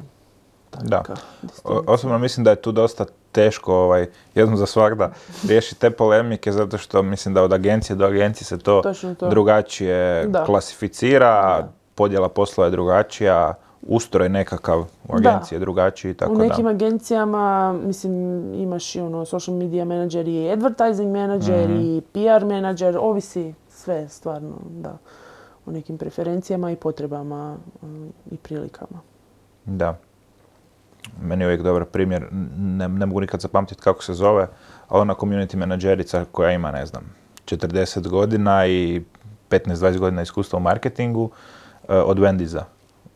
taka distinkcija. Osobno mislim da je tu dosta teško ovaj, jednom za svakda riješiti te polemike zato što mislim da od agencije do agencije se to, to. drugačije da. klasificira, da. podjela posla je drugačija, ustroj nekakav u agenciji je drugačiji. Tako u nekim da. agencijama mislim, imaš i ono, social media manager i advertising manager mm-hmm. i P R manager, ovisi sve stvarno da, o nekim preferencijama i potrebama um, i prilikama. Da. Meni je uvijek dobar primjer, ne, ne mogu nikad zapamtiti kako se zove, ali ona community menadžerica koja ima, ne znam, četrdeset godina i petnaest dvadeset godina iskustva u marketingu uh, od Wendysa.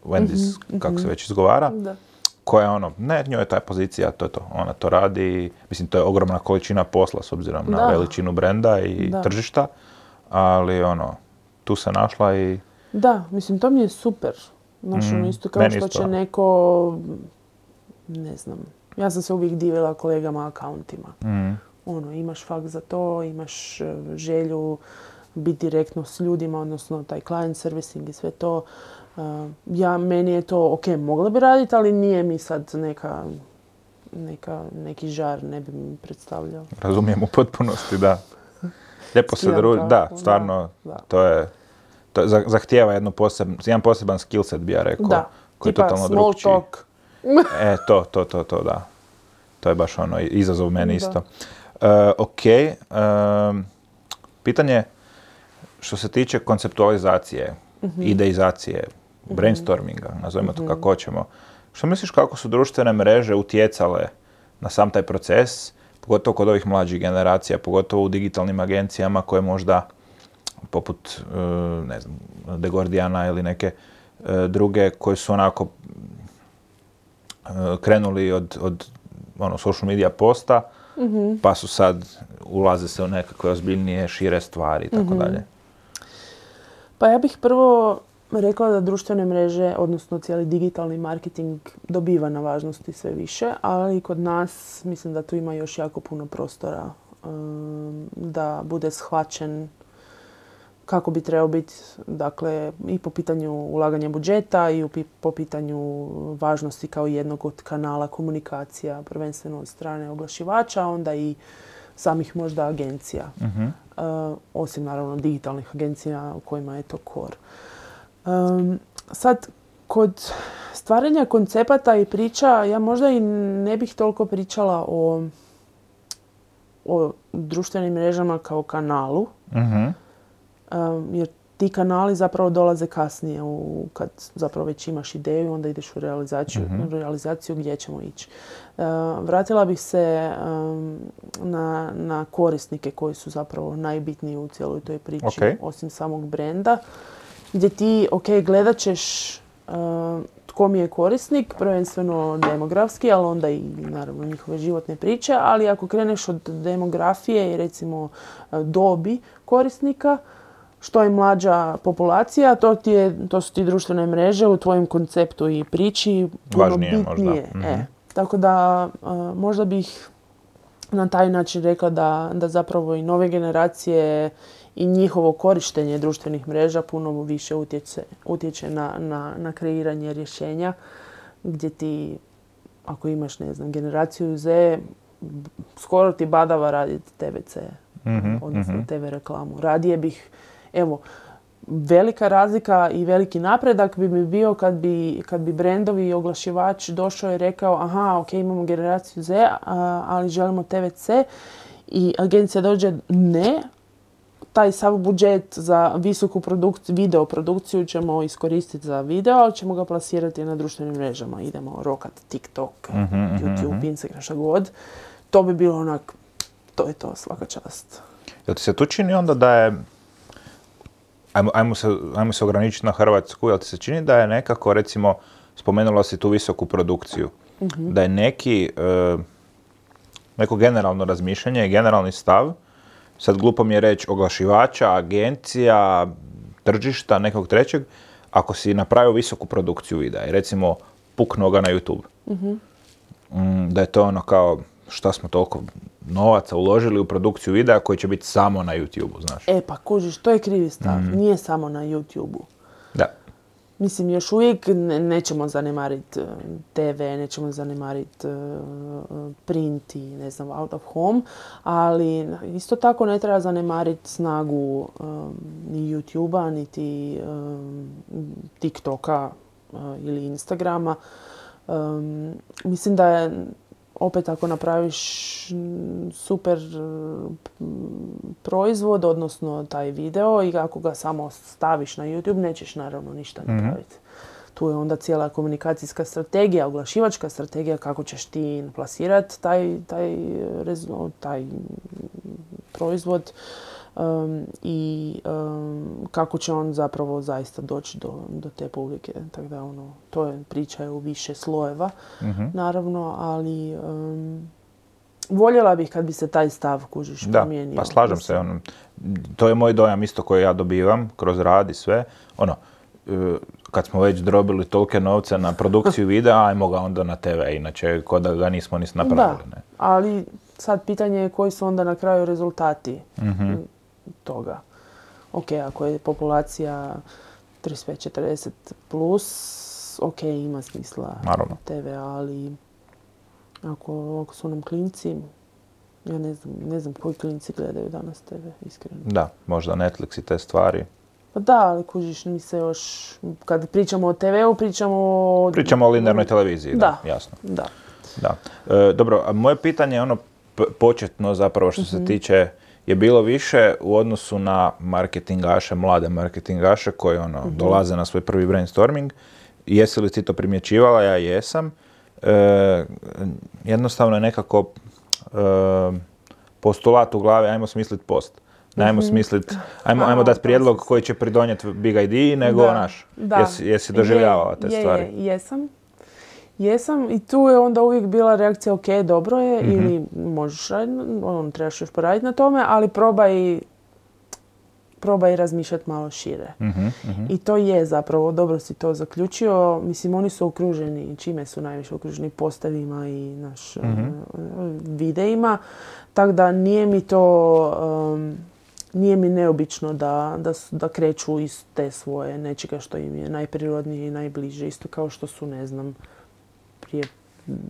Wendy's, mm-hmm. kako se već izgovara, da. koja je ono, ne, njoj je ta pozicija, to je to, ona to radi, mislim, to je ogromna količina posla s obzirom da. na veličinu brenda i da. tržišta, ali ono, tu se našla i... Da, mislim, to mi je super. Znaš, mm, ono, isto kao što isto. će neko, ne znam, ja sam se uvijek divila kolegama akauntima. Mm. Ono, imaš fakt za to, imaš želju biti direktno s ljudima, odnosno taj client servicing i sve to. Uh, ja, meni je to, ok, mogla bi raditi, ali nije mi sad neka, neka, neki žar, ne bi mi predstavljao. Razumijem u potpunosti, da. Lijepo se druži, da, stvarno, da, da. to je, to zahtijeva jednu poseb, jedan poseban skillset, bi ja rekao. Da, koji tipa je totalno small drugčiji. Talk. E, to, to, to, to, da. To je baš ono, izazov meni isto. Uh, ok, uh, pitanje što se tiče konceptualizacije, mm-hmm. ideizacije, mm-hmm. brainstorminga, nazovimo mm-hmm. to kako hoćemo. Što misliš kako su društvene mreže utjecale na sam taj proces, pogotovo kod ovih mlađih generacija, pogotovo u digitalnim agencijama koje možda, poput, ne znam, The Guardiana ili neke druge, koje su onako krenuli od, od ono, social media posta, mm-hmm. pa su sad, ulaze se u nekakve ozbiljnije, šire stvari i tako mm-hmm. dalje. Pa ja bih prvo rekla da društvene mreže, odnosno cijeli digitalni marketing dobiva na važnosti sve više, ali kod nas mislim da tu ima još jako puno prostora um, da bude shvaćen kako bi trebao biti, dakle, i po pitanju ulaganja budžeta i po pitanju važnosti kao jednog od kanala komunikacija, prvenstveno od strane oglašivača, onda i samih možda agencija. Mm-hmm. Uh, osim naravno digitalnih agencija u kojima je to core. Um, sad, kod stvaranja koncepata i priča, ja možda i ne bih toliko pričala o, o društvenim mrežama kao kanalu, mm-hmm. um, jer ti kanali zapravo dolaze kasnije, u, kad zapravo već imaš ideju, onda ideš u realizaciju, mm-hmm. realizaciju gdje ćemo ići. Uh, vratila bih se um, na, na korisnike koji su zapravo najbitniji u cijeloj toj priči, okay. osim samog brenda, gdje ti, ok, gledat ćeš uh, tko mi je korisnik, prvenstveno demografski, ali onda i naravno njihove životne priče, ali ako kreneš od demografije i recimo dobi korisnika, što je mlađa populacija, to, ti je, to su ti društvene mreže u tvojem konceptu i priči puno važnije, bitnije. Možda. Mm-hmm. E, tako da uh, možda bih na taj način rekla da, da zapravo i nove generacije i njihovo korištenje društvenih mreža puno više utječe, utječe na, na, na kreiranje rješenja, gdje ti, ako imaš, ne znam, generaciju Z, skoro ti badava raditi te ve ce, mm-hmm, odnosno mm-hmm. te ve reklamu. Radije bih, evo, velika razlika i veliki napredak bi mi bio kad bi, kad bi brendovi i oglašivač došao i rekao, aha, ok, imamo generaciju Z, a, ali želimo te ve ce, i agencija dođe, ne, taj sav budžet za visoku produkciju, video produkciju ćemo iskoristiti za video, ali ćemo ga plasirati na društvenim mrežama. Idemo rokat TikTok, mm-hmm, YouTube, mm-hmm. Instagram, šta god. To bi bilo onak, to je to, svaka čast. Jel ti se tu čini onda da je, ajmo, ajmo, se, ajmo se ograničiti na Hrvatsku, jel ti se čini da je nekako, recimo, spomenula si tu visoku produkciju, mm-hmm. da je neki, e, neko generalno razmišljanje i generalni stav, sad glupo mi je reći oglašivača, agencija, tržišta, nekog trećeg, ako si napravio visoku produkciju videa i recimo puknuo ga na YouTube, mm-hmm. da je to ono kao šta smo toliko novaca uložili u produkciju videa koji će biti samo na YouTube-u, znaš. E pa kužiš, to je krivi stav, mm-hmm. nije samo na YouTube-u. Da. Mislim, još uvijek ne, nećemo zanemariti te ve, nećemo zanemariti uh, print i ne znam, out of home, ali isto tako ne treba zanemariti snagu um, ni YouTube-a, niti um, TikToka uh, ili Instagrama. Um, mislim da je, opet ako napraviš super proizvod, odnosno taj video, i ako ga samo staviš na YouTube, nećeš naravno ništa napraviti. Mm-hmm. Tu je onda cijela komunikacijska strategija, oglašivačka strategija, kako ćeš ti plasirati taj, taj, taj proizvod um, i um, kako će on zapravo zaista doći do, do te publike. Tako da, ono, to je priča u više slojeva, mm-hmm. naravno, ali um, voljela bih kad bi se taj stav, kužiš, da, promijenio. Pa slažem se. Ono, to je moj dojam isto koji ja dobivam kroz rad i sve. Ono, kad smo već drobili tolike novce na produkciju videa, ajmo ga onda na te ve, inače ko da ga nismo ni napravili. Da, ne. Ali sad pitanje je koji su onda na kraju rezultati mm-hmm. toga. Ok, ako je populacija trideset pet četrdeset plus, ok, ima smisla naravno. te ve, ali ako, ako su nam klinci, ja ne znam, ne znam koji klinci gledaju danas te ve, iskreno. Da, možda Netflix i te stvari. Pa da, ali kužiš, mi se još, kad pričamo o te veu, pričamo o... Pričamo o linearnoj televiziji, da, da jasno. Da. Da. E, dobro, a moje pitanje je ono p- početno zapravo što mm-hmm. se tiče, je bilo više u odnosu na marketingaše, mlade marketingaše koji ono, mm-hmm. dolaze na svoj prvi brainstorming. Jesi li ti to primjećivala? Ja jesam. E, jednostavno je nekako e, postulat u glavi, ajmo smisliti post. Ne, ajmo smisliti, ajmo, ajmo dati prijedlog koji će pridonijeti big idea, nego da, naš. Da. Jesi, jesi doživljavala te je, stvari? Je, jesam. Jesam i tu je onda uvijek bila reakcija, ok, dobro je, mm-hmm. ili možeš raditi, on, trebaš još poraditi na tome, ali probaj, probaj razmišljati malo šire. Mm-hmm, mm-hmm. I to je zapravo, dobro si to zaključio. Mislim, oni su okruženi, čime su najviše okruženi, postavima i naš mm-hmm. videima. Tako da nije mi to... Um, Nije mi neobično da, da, da kreću iz te svoje nečega što im je najprirodnije i najbliže. Isto kao što su, ne znam, prije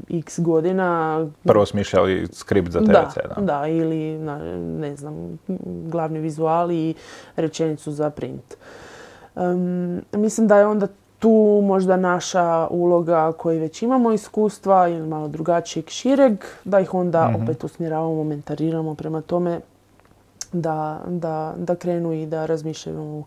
x godina... Prvo smišljali skript za te ve ce, da. Da, ili, ne znam, glavni vizual i rečenicu za print. Um, mislim da je onda tu možda naša uloga koji već imamo iskustva ili malo drugačijeg, šireg, da ih onda mm-hmm. opet usmjeravamo, mentariramo prema tome da, da, da krenu i da razmišljaju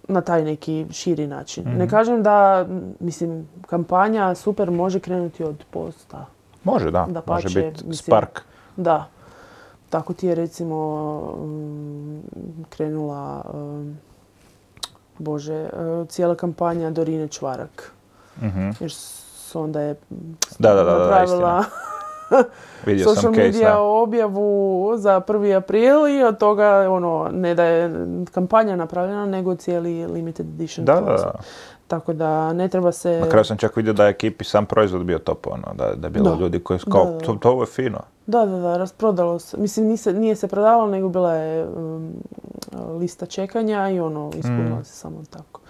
na taj neki širi način. Mm-hmm. Ne kažem da, mislim, kampanja super može krenuti od posta. Može, da. da pače, može biti spark. Da. Tako ti je, recimo, um, krenula, um, Bože, uh, cijela kampanja Dorine Čvarak. Mm-hmm. Jer onda je da, da, da, napravila Vidio social media case, objavu za prvi april i od toga ono, ne da je kampanja napravljena, nego cijeli limited edition. Da, da, da. Tako da ne treba se... Na kraju sam čak vidio da je ekipi sam proizvod bio top, ono, da, da je bilo da. ljudi koji su kao, da, da. To, to ovo je fino. Da, da, da, rasprodalo se. Mislim, nije se, nije se prodavalo, nego bila je um, lista čekanja i ono, ispunila mm. se samo tako.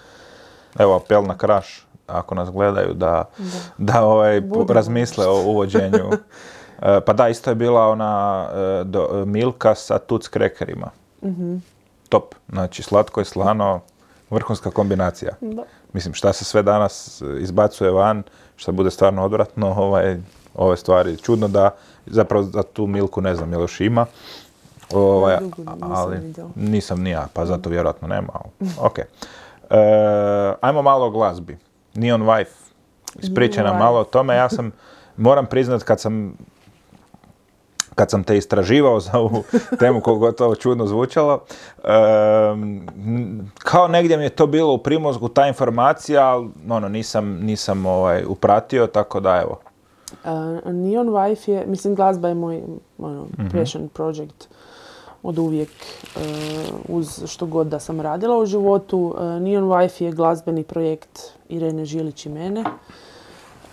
Evo, apel na Krash, ako nas gledaju, da, da. da ovaj, razmisle o uvođenju. e, pa da, isto je bila ona e, do, Milka sa tuc krekerima. Mm-hmm. Top. Znači, slatko i slano, vrhunska kombinacija. Da. Mislim, šta se sve danas izbacuje van, šta bude stvarno odvratno, ovaj, ove stvari. Čudno da, zapravo za tu Milku ne znam, je li još ima. Ovaj, ja, dugo, ali nisam, nisam ni ja, pa zato vjerojatno nema. Ok. E, ajmo malo o glazbi. Neon Wife. Ispričaj nam malo o tome. Ja sam, moram priznat, kad sam kad sam te istraživao za ovu temu, koliko je to čudno zvučalo, um, kao negdje mi je to bilo u primozgu, ta informacija, ali ono, nisam, nisam ovaj, upratio, tako da evo. Uh, Neon Wife je, mislim, glazba je moj ono, mm-hmm. passion project od uvijek, uh, uz što god da sam radila u životu. Uh, Neon Wife je glazbeni projekt Irene Žilić i mene.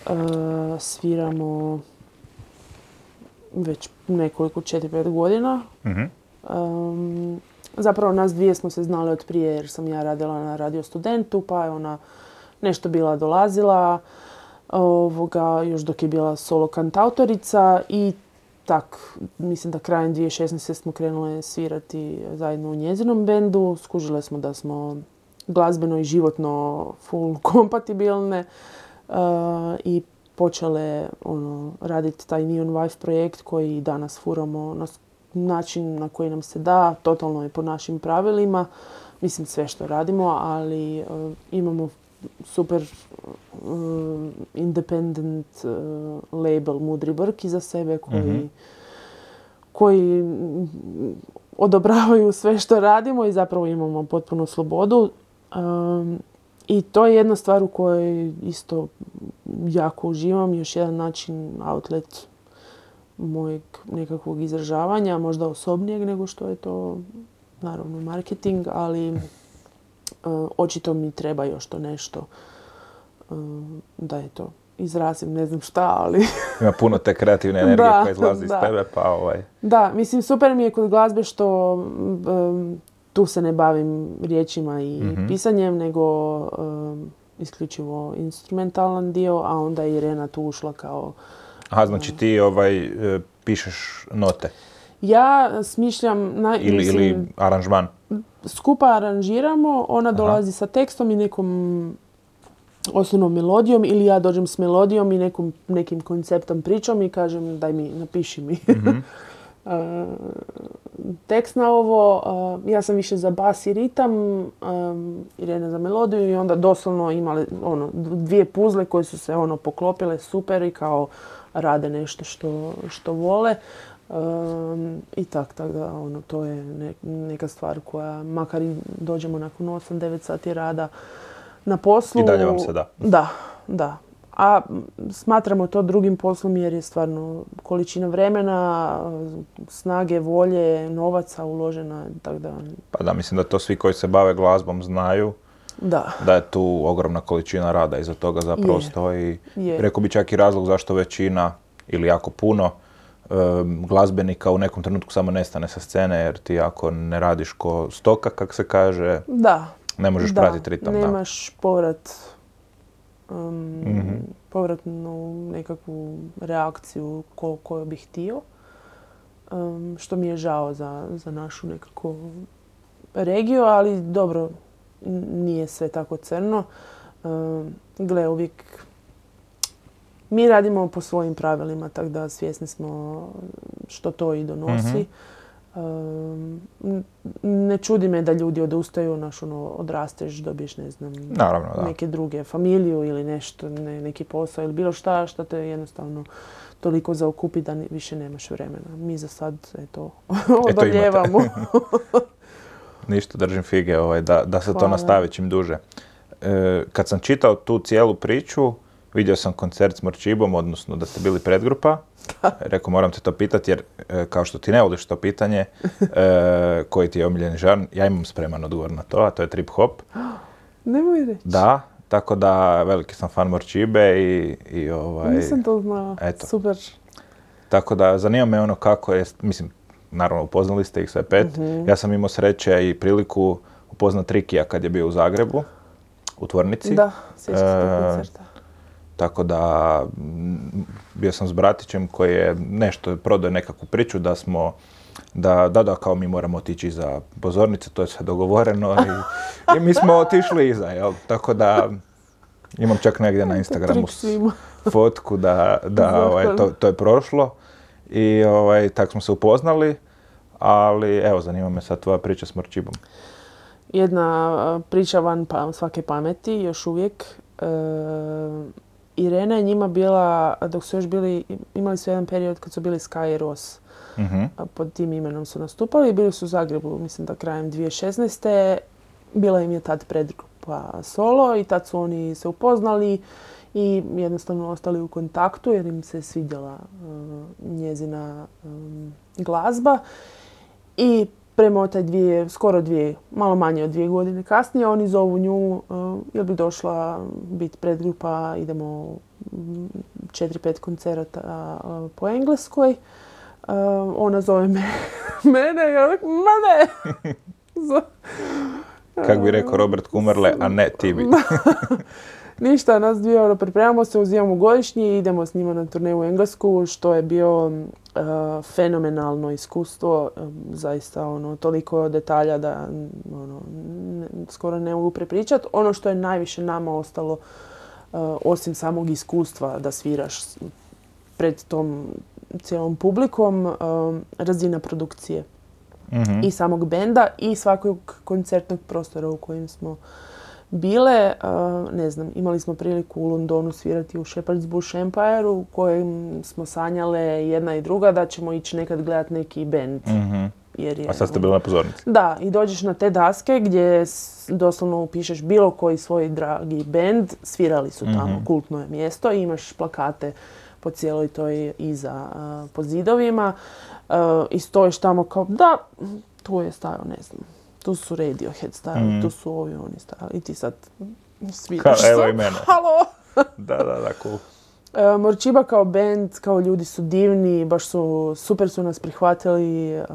Uh, sviramo već nekoliko, četiri pet godina. Mm-hmm. Um, zapravo nas dvije smo se znali od prije jer sam ja radila na Radio Studentu, pa je ona nešto bila dolazila ovoga, još dok je bila solo kantautorica i tak, mislim da krajem dvije tisuće šesnaeste smo krenule svirati zajedno u njezinom bendu. Skužile smo da smo glazbeno i životno full kompatibilne uh, i počele ono, raditi taj Neon Wife projekt koji danas furamo na način na koji nam se da, totalno je po našim pravilima. Mislim, sve što radimo, ali uh, imamo super uh, independent uh, label Mudri Brk iza sebe koji, mm-hmm. koji odobravaju sve što radimo i zapravo imamo potpunu slobodu. Um, I to je jedna stvar u kojoj isto jako uživam, još jedan način, outlet mojeg nekakvog izražavanja, možda osobnijeg nego što je to naravno marketing, ali uh, očito mi treba još to nešto uh, da je to izrazim, ne znam šta, ali... Ima puno te kreativne energije koja izlazi da. iz tebe, pa ovaj... Da, mislim, super mi je kod glazbe što um, tu se ne bavim riječima i mm-hmm. pisanjem, nego um, isključivo instrumentalan dio, a onda je Irena tu ušla kao... Aha, znači ti ovaj, pišeš note? Ja smišljam... Na, ili, mislim, ili aranžman? Skupa aranžiramo, ona Aha. dolazi sa tekstom i nekom osnovnom melodijom, ili ja dođem s melodijom i nekom, nekim konceptom pričom i kažem daj mi, napiši mi. Mm-hmm. uh, tekst na ovo. Uh, ja sam više za bas i ritam, um, Irena za melodiju i onda doslovno imali ono, dvije puzle koje su se ono poklopile super i kao rade nešto što, što vole. Um, I tak, tak da, ono, to je ne, neka stvar koja, makar i dođemo nakon osam devet sati rada na poslu. I dalje vam se da. Da, da. A smatramo to drugim poslom jer je stvarno količina vremena, snage, volje, novaca uložena. Tak da... Pa da, mislim da to svi koji se bave glazbom znaju. Da. Da je tu ogromna količina rada iza toga zapravo je. stoji. Je. Rekao bi čak i razlog zašto većina ili jako puno um, glazbenika u nekom trenutku samo nestane sa scene jer ti ako ne radiš ko stoka, kak se kaže, da. ne možeš da. pratiti ritam. Nemaš da. povrat, um, mm-hmm. povratnu nekakvu reakciju ko, koju bih htio. Um, što mi je žao za, za našu nekako regiju, ali dobro, nije sve tako crno. Um, gle, uvijek mi radimo po svojim pravilima, tako da svjesni smo što to i donosi. Um, ne čudi me da ljudi odustaju, naš ono, odrasteš, dobiješ, ne znam, Naravno, da. neke druge, familiju ili nešto, ne, neki posao ili bilo šta, šta te jednostavno toliko zaokupi da ni, više nemaš vremena. Mi za sad, eto, odoljevamo. Ništa, držim fige ovaj, da, da se Hvala. To nastavi čim duže. E, kad sam čitao tu cijelu priču, vidio sam koncert s Morčibom, odnosno da ste bili predgrupa. Rekao, moram te to pitati jer e, kao što ti ne voliš to pitanje, e, koji ti je omiljeni žanr, ja imam spreman odgovor na to, a to je trip hop. Nemoj reći. Da, tako da veliki sam fan Morčibe i, i ovaj... Nisam to znala, eto. Super. Tako da zanima me ono kako je, mislim, naravno upoznali ste ih sve pet. Mm-hmm. Ja sam imao sreće i priliku upoznat Rikija kad je bio u Zagrebu, u tvornici. Da, sjećam se tog koncerta. Tako da bio sam s bratićem koji je nešto prodao nekakvu priču da smo, da, da, da, kao mi moramo otići iza pozornice, to je sve dogovoreno i, i mi smo otišli iza, jel? Tako da imam čak negdje na Instagramu fotku da, da ovaj, to, to je prošlo i ovaj, tako smo se upoznali, ali evo, zanima me sad tvoja priča s Morčibom. Jedna priča van pa, svake pameti, još uvijek. E, Irena je njima bila, dok su još bili, imali su jedan period kad su bili Sky i Ross. Mm-hmm. Pod tim imenom su nastupali i bili su u Zagrebu, mislim da krajem dvije tisuće šesnaeste. Bila im je tad predgrupa solo i tad su oni se upoznali i jednostavno ostali u kontaktu jer im se svidjela uh, njezina um, glazba. I prema taj dvije, skoro dvije, malo manje od dvije godine kasnije, oni zovu nju, uh, jel bi došla biti predgrupa, idemo četiri, pet koncerata uh, po Engleskoj. Uh, ona zove me, mene, ja rekao, ma ne! Kako bi rekao Robert Kummerle, a ne ti bi. Ništa, nas dvije ono, pripremamo se, uzimamo godišnji i idemo s njima na turneju u Englesku, što je bio uh, fenomenalno iskustvo, um, zaista ono, toliko detalja da ono, ne, skoro ne mogu prepričati. Ono što je najviše nama ostalo, uh, osim samog iskustva da sviraš pred tom cijelom publikom, um, razina produkcije. Mm-hmm. I samog benda i svakog koncertnog prostora u kojem smo bile. Uh, ne znam, imali smo priliku u Londonu svirati u Shepherd's Bush Empire u kojem smo sanjale jedna i druga da ćemo ići nekad gledati neki bend. Mm-hmm. Jer je, a sad ste bili na pozornici? Da, i dođeš na te daske gdje doslovno upišeš bilo koji svoj dragi bend, svirali su tamo, mm-hmm. kultno je mjesto i imaš plakate po cijeloj toj iza uh, po zidovima. Uh, I stojiš tamo kao, da, tu je stajao, ne znam, tu su Radiohead stajali, mm. tu su ovi oni stajali i ti sad sviraš. Kao, evo i mene. Halo! Da, da, da, cool. Uh, Morčiba kao band, kao ljudi su divni, baš su, super su nas prihvatili. Uh,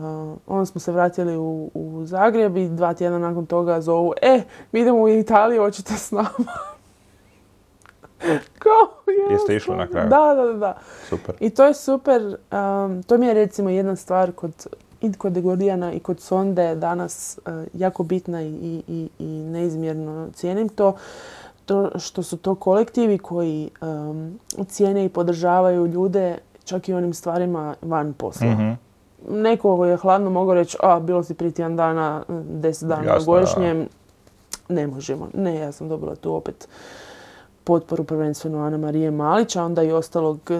onda smo se vratili u, u Zagreb i dva tjedna nakon toga zovu, e, mi idemo u Italiju, hoćete s nama? Kao, jeste išli na kraju? Da, da, da. Super. I to je super. Um, to mi je recimo jedna stvar kod, i kod The Gordiana i kod Sonde danas uh, jako bitna i, i, i neizmjerno cijenim to. To što su to kolektivi koji um, cijene i podržavaju ljude čak i onim stvarima van posla. Mm-hmm. Neko je hladno mogao reći, a bilo si prije tjedan dana, deset dana na godišnjem. Ne možemo. Ne, ja sam dobila tu opet potporu prvenstveno Ana Marije Malić, a onda i ostalog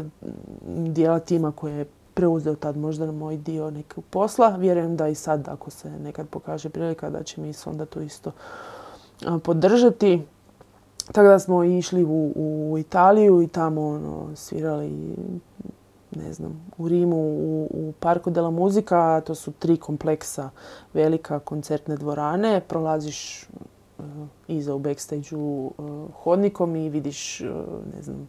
dijela tima koje je preuzeo tad možda na moj dio nekog posla. Vjerujem da i sad, ako se nekad pokaže prilika, da će mi onda to isto podržati. Tako da smo išli u, u Italiju i tamo ono, svirali, ne znam, u Rimu, u, u Parco della Musica. To su tri kompleksa, velika koncertne dvorane. Prolaziš uh, iza u backstage-u uh, hodnikom i vidiš, uh, ne znam,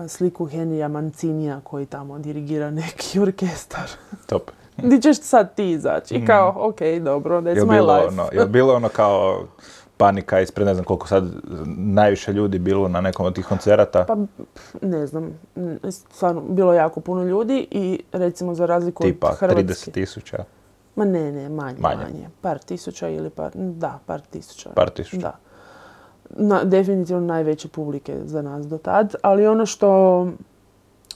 sliku Henrya Mancinija koji tamo dirigira neki orkestar. Top. Di ćeš sad ti izaći? I kao, ok, dobro, that's my life. Ono, je li bilo ono kao panika ispred, ne znam koliko sad najviše ljudi bilo na nekom od tih koncerata? Pa, ne znam. Stvarno, bilo jako puno ljudi i recimo za razliku tipa, od Hrvatske. Tipa trideset tisuća? Ma ne, ne, manje, manje, manje. Par tisuća ili par, da, par tisuća. Par tisuća. Da. Na, definitivno najveće publike za nas do tad, ali ono što,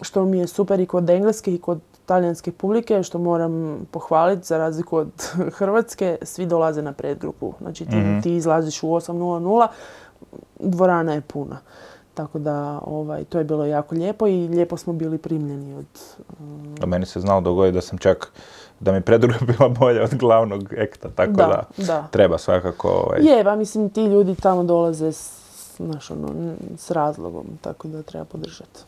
što mi je super i kod engleske i kod talijanske publike, što moram pohvaliti, za razliku od Hrvatske, svi dolaze na predgrupu. Znači ti, mm-hmm. ti izlaziš u osam nula nula, dvorana je puna. Tako da ovaj, to je bilo jako lijepo i lijepo smo bili primljeni od... Um... A meni se znalo dogoditi da sam čak, da mi predgrupa bila bolja od glavnog ekta, tako da, da, da. treba svakako... Ovaj... Je, ba mislim ti ljudi tamo dolaze s, znaš, ono, s razlogom, tako da treba podržati.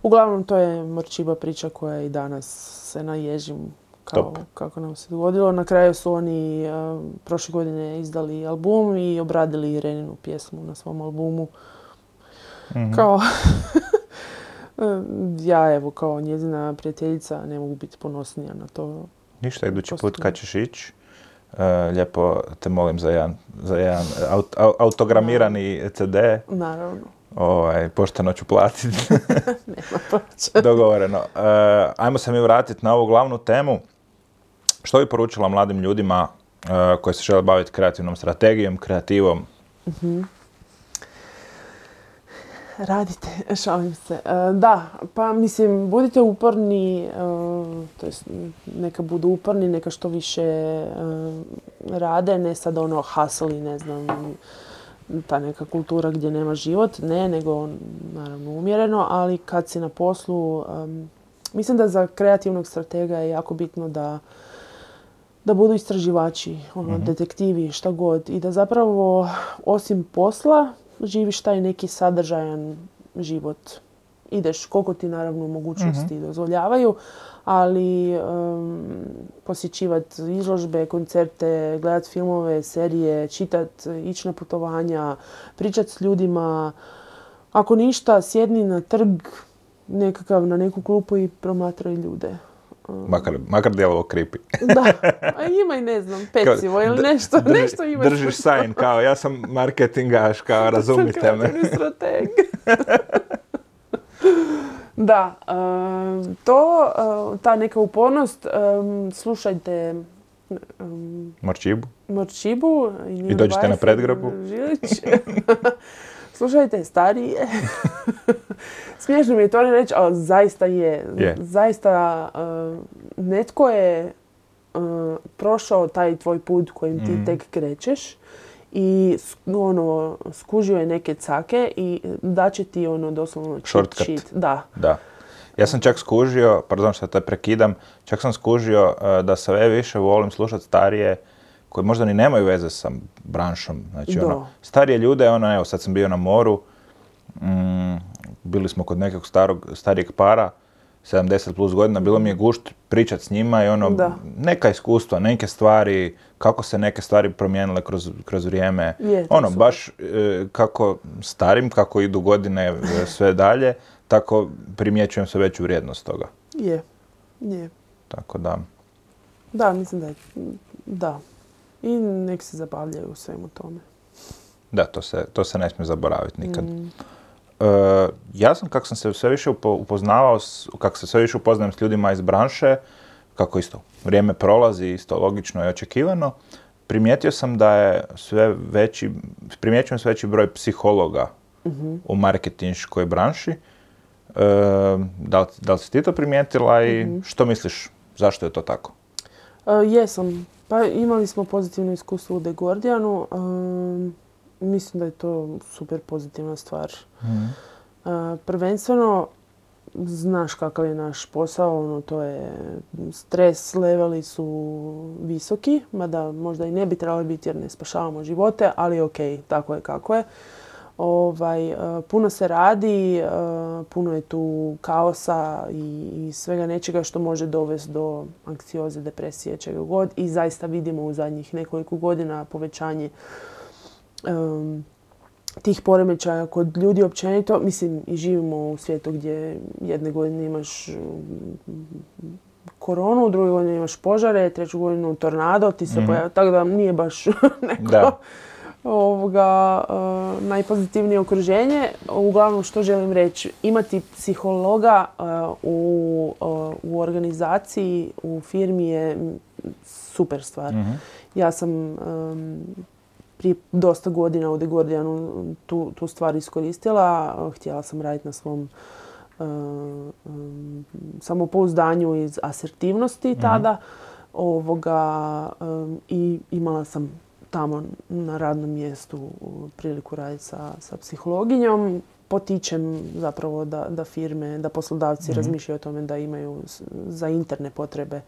Uglavnom to je Morčiba priča koja i danas se naježim kao, kako nam se dogodilo. Na kraju su oni uh, prošle godine izdali album i obradili Ireninu pjesmu na svom albumu. Mm-hmm. Kao, ja evo kao njezina prijateljica ne mogu biti ponosnija na to. Ništa, idući put kad ćeš ići, uh, lijepo te molim za jedan, za jedan aut, autogramirani no. ce de. Naravno. Ovaj, pošteno ću platiti. Nema plaća. Dogovoreno. Uh, ajmo se mi vratiti na ovu glavnu temu. Što bi poručila mladim ljudima uh, koji se žele baviti kreativnom strategijom, kreativom? Mm-hmm. Radite, šalim se. Uh, da, pa mislim, budite uporni, uh, to jest neka budu uporni, neka što više uh, rade, ne sad ono hustle i ne znam, ta neka kultura gdje nema život, ne, nego naravno umjereno, ali kad si na poslu, um, mislim da za kreativnog stratega je jako bitno da, da budu istraživači, ono, mm-hmm. detektivi, šta god, i da zapravo osim posla živiš taj neki sadržajan život. Ideš koliko ti naravno mogućnosti mm-hmm. dozvoljavaju, ali um, posjećivati izložbe, koncerte, gledati filmove, serije, čitati, ići na putovanja, pričati s ljudima. Ako ništa, sjedni na trg nekakav, na neku klupu i promatraj ljude. Um, makar, makar djelovo creepy. Da, a ima i ne znam, pecivo ili nešto. Drži, nešto ima držiš sign kao ja sam marketingaš, kao razumite me. Sam strateg. Da, um, to, uh, ta neka upornost, um, slušajte um, Morčibu. Morčibu i, I dođite na predgrabu. Slušajte starije. Smiješno mi je to ne reći, ali zaista je. Yeah. Zaista uh, netko je uh, prošao taj tvoj put kojim ti mm. tek krećeš i ono, skužio je neke cake i daće ti ono doslovno cheat sheet. Da. Da. Ja sam čak skužio, pardon što te prekidam, čak sam skužio uh, da sve više volim slušati starije koji možda ni nemaju veze sa branšom. Znači, ono, starije ljude, ono, evo, sad sam bio na moru, mm, bili smo kod nekog starog, starijeg para, sedamdeset plus godina, bilo mi je gušt pričati s njima i ono, da. neka iskustva, neke stvari, kako se neke stvari promijenile kroz, kroz vrijeme. Je, ono, super. Baš e, kako starim, kako idu godine sve dalje, tako primjećujem sve veću vrijednost toga. Je, je. Tako da. Da, mislim da je, da. I nek se zabavljaju u svemu tome. Da, to se, to se ne smije zaboraviti nikad. Mm. Uh, ja sam, kako sam se sve više upoznavao, kako se sve više upoznajem s ljudima iz branše, kako isto vrijeme prolazi, isto logično i očekivano, primijetio sam da je sve veći, primjećujem sve veći broj psihologa mm-hmm. u marketinškoj branši. Uh, da, li, da li si ti to primijetila i mm-hmm. što misliš, zašto je to tako? Uh, jesam. Pa imali smo pozitivno iskustvo u The Guardianu. Um, mislim da je to super pozitivna stvar. Mm. Uh, prvenstveno, znaš kakav je naš posao, ono, to je stres leveli su visoki, mada možda i ne bi trebali biti jer ne spašavamo živote, ali ok, tako je kako je. Ovaj, uh, puno se radi, uh, puno je tu kaosa i, i svega nečega što može dovesti do anksioze, depresije, čega god. I zaista vidimo u zadnjih nekoliko godina povećanje um, tih poremećaja kod ljudi općenito. Mislim, i živimo u svijetu gdje jedne godine imaš koronu, u druge godine imaš požare, treću godinu tornado, ti se mm-hmm. pojavi, tako da nije baš neko... Da. Ovoga, uh, najpozitivnije okruženje. Uglavnom, što želim reći, imati psihologa uh, u, uh, u organizaciji, u firmi je super stvar. Mm-hmm. Ja sam um, prije dosta godina u The Guardianu tu, tu stvar iskoristila. Htjela sam raditi na svom um, samopouzdanju i asertivnosti mm-hmm. tada. Ovoga, um, i imala sam tamo na radnom mjestu priliku raditi sa, sa psihologinjom. Potičem zapravo da, da firme, da poslodavci mm-hmm. razmišljaju o tome da imaju za interne potrebe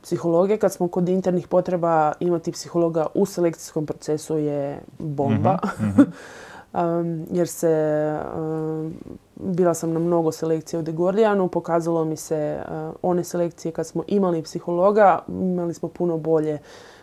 psihologe. Kad smo kod internih potreba, imati psihologa u selekcijskom procesu je bomba. Mm-hmm. um, jer se, um, bila sam na mnogo selekcija u The Guardianu, pokazalo mi se uh, one selekcije kad smo imali psihologa, imali smo puno bolje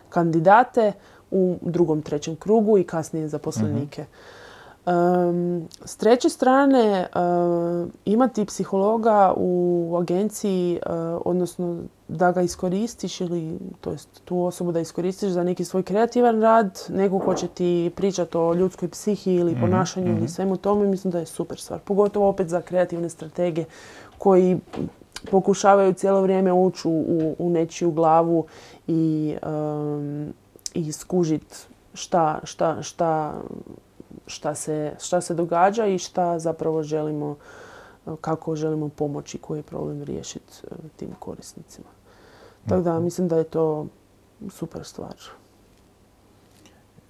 kandidate u drugom, trećem krugu i kasnije zaposlenike. Mm-hmm. Um, s treće strane, uh, imati psihologa u agenciji, uh, odnosno da ga iskoristiš ili to jest tu osobu da iskoristiš za neki svoj kreativan rad, neko ko će ti pričati o ljudskoj psihi ili ponašanju mm-hmm. ili svemu tome, mislim da je super stvar. Pogotovo opet za kreativne stratege koji pokušavaju cijelo vrijeme ući u, u nečiju glavu i, um, i skužiti šta, šta, šta Šta se, šta se događa i šta zapravo želimo, kako želimo pomoći, koji je problem riješiti tim korisnicima. Tako da mislim da je to super stvar.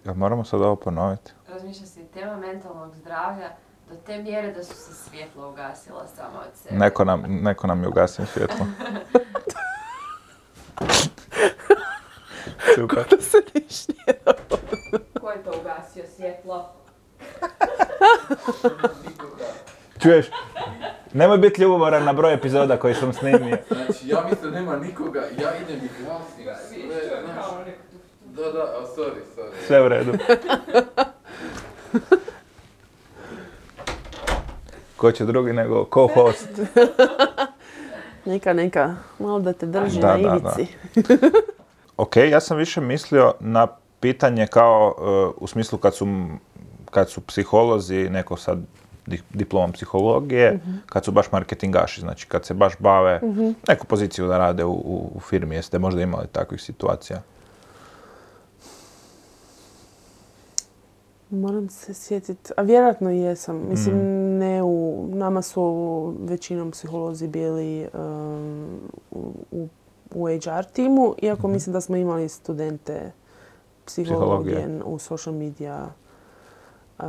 Jel moramo sad ovo ponoviti? Razmišljam si, tema mentalnog zdravlja do te mjere da su se svjetlo ugasila samo od sebe. Neko nam, neko nam je ugasio svjetlo. Super. Kako se niš nije dobro. Ko je to ugasio svjetlo? Čuješ, nemoj biti ljubomoran na broj epizoda koji sam snimio. Znači, ja mislim da nema nikoga, ja idem i glasim sve, znaš. Da, da, a sorry, sorry. Sve u redu. Ko će drugi nego co-host? Neka, neka, malo da te drži da, na ivici. Da, da. Ok, ja sam više mislio na pitanje kao uh, u smislu kad su kad su psiholozi, neko sad diplomom psihologije, mm-hmm. kad su baš marketingaši, znači kad se baš bave mm-hmm. neku poziciju da rade u, u, u firmi. Jeste možda imali takvih situacija? Moram se sjetiti, a vjerojatno jesam. Mislim, mm. ne u, nama su većinom psiholozi bili um, u, u H R timu, iako mm-hmm. mislim da smo imali studente psihologije, psihologije. u social media Uh,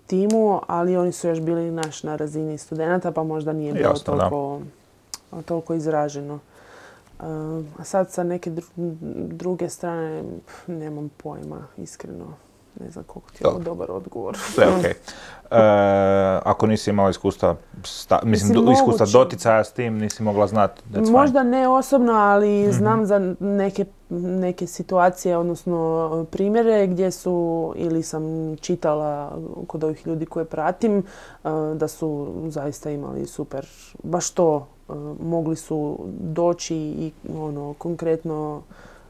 timu, ali oni su još bili naš na razini studenata, pa možda nije bilo Jasno, toliko, toliko izraženo. Uh, a sad sa neke dru- druge strane pf, nemam pojma, iskreno. Ne znam koliko ti je ovo dobar odgovor. Sve okej. Okay. Uh, ako nisi imala iskustva, sta, mislim, mislim iskustva doticaja s tim, nisi mogla znati. Možda fine. Ne osobno, ali mm-hmm. znam za neke, neke situacije, odnosno primjere gdje su, ili sam čitala kod ovih ljudi koje pratim, uh, da su zaista imali super, baš to, uh, mogli su doći i ono, konkretno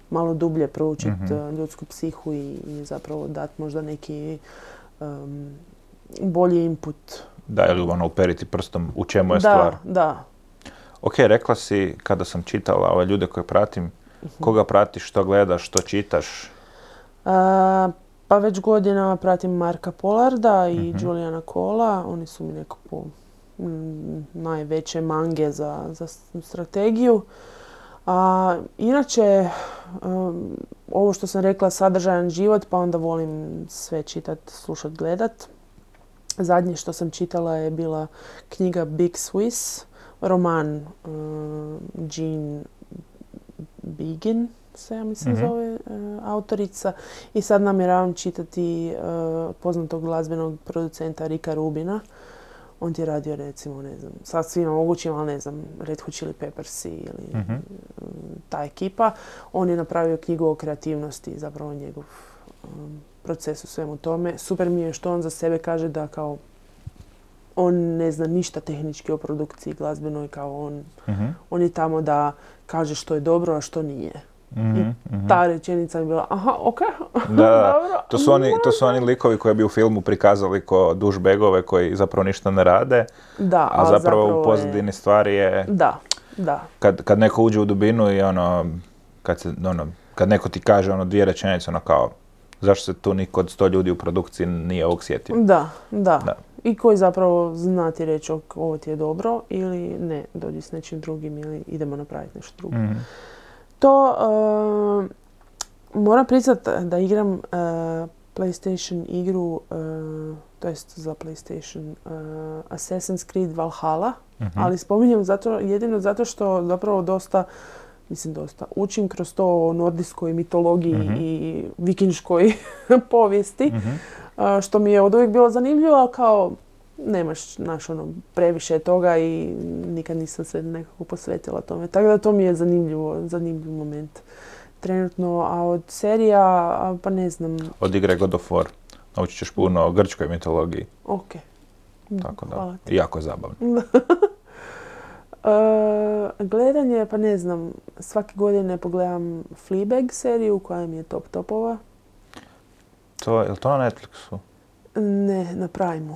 malo dublje proučiti mm-hmm. ljudsku psihu i, i zapravo dati možda neki um, bolji input. Da, ili ono uperiti prstom u čemu je da, stvar. Da, da. Ok, rekla si kada sam čitala ove ljude koje pratim, mm-hmm. koga pratiš, što gledaš, što čitaš? Uh, pa već godinama pratim Marka Polarda i mm-hmm. Juliana Cola. Oni su mi nekako m, najveće mange za, za strategiju. A inače, um, ovo što sam rekla, sadržajan život, pa onda volim sve čitat, slušat, gledat. Zadnje što sam čitala je bila knjiga Big Swiss, roman uh, Jean Begin, se ja mislim mm-hmm. zove uh, autorica. I sad namjeravam čitati uh, poznatog glazbenog producenta Ricka Rubina. On ti je radio, recimo, ne znam, sad svima mogućim, ali ne znam, Red Hot Chili Peppersi ili mm-hmm. ta ekipa. On je napravio knjigu o kreativnosti, zapravo njegov um, proces u svemu tome. Super mi je što on za sebe kaže da kao on ne zna ništa tehnički o produkciji glazbenoj, kao on, mm-hmm. on je tamo da kaže što je dobro, a što nije. Mm-hmm. I ta rečenica je bila, aha, ok, da, dobro. To su, oni, to su oni likovi koji bi u filmu prikazali ko dušbegove koji zapravo ništa ne rade, da, a, a zapravo, zapravo u pozadini je... stvari je... Da, da. Kad, kad neko uđe u dubinu i ono, kad, se, ono, kad neko ti kaže ono dvije rečenice, ono kao, zašto se tu niko od sto ljudi u produkciji nije ovog sjetio? Da, da, da. i koji zapravo zna ti reći ovo ti je dobro ili ne, dođi s nečim drugim ili idemo napraviti nešto drugo. Mm-hmm. To uh, moram priznat da igram uh, PlayStation igru, uh, to jest za PlayStation uh, Assassin's Creed Valhalla, mm-hmm. ali spominjem zato, jedino zato što zapravo dosta, mislim dosta, učim kroz to o nordijskoj mitologiji mm-hmm. i vikinškoj povijesti, mm-hmm. uh, što mi je od uvijek bilo zanimljivo, ali kao nemaš naš ono previše toga i nikad nisam se nekako posvetila tome. Tako da to mi je zanimljivo, zanimljiv moment trenutno, a od serija, pa ne znam. Od igre God of War. Naučit ćeš puno o grčkoj mitologiji. Ok. Tako da, jako je zabavno. uh, gledanje, pa ne znam, svake godine pogledam Fleabag seriju koja mi je top topova. To, je li to na Netflixu? Ne, na Primeu.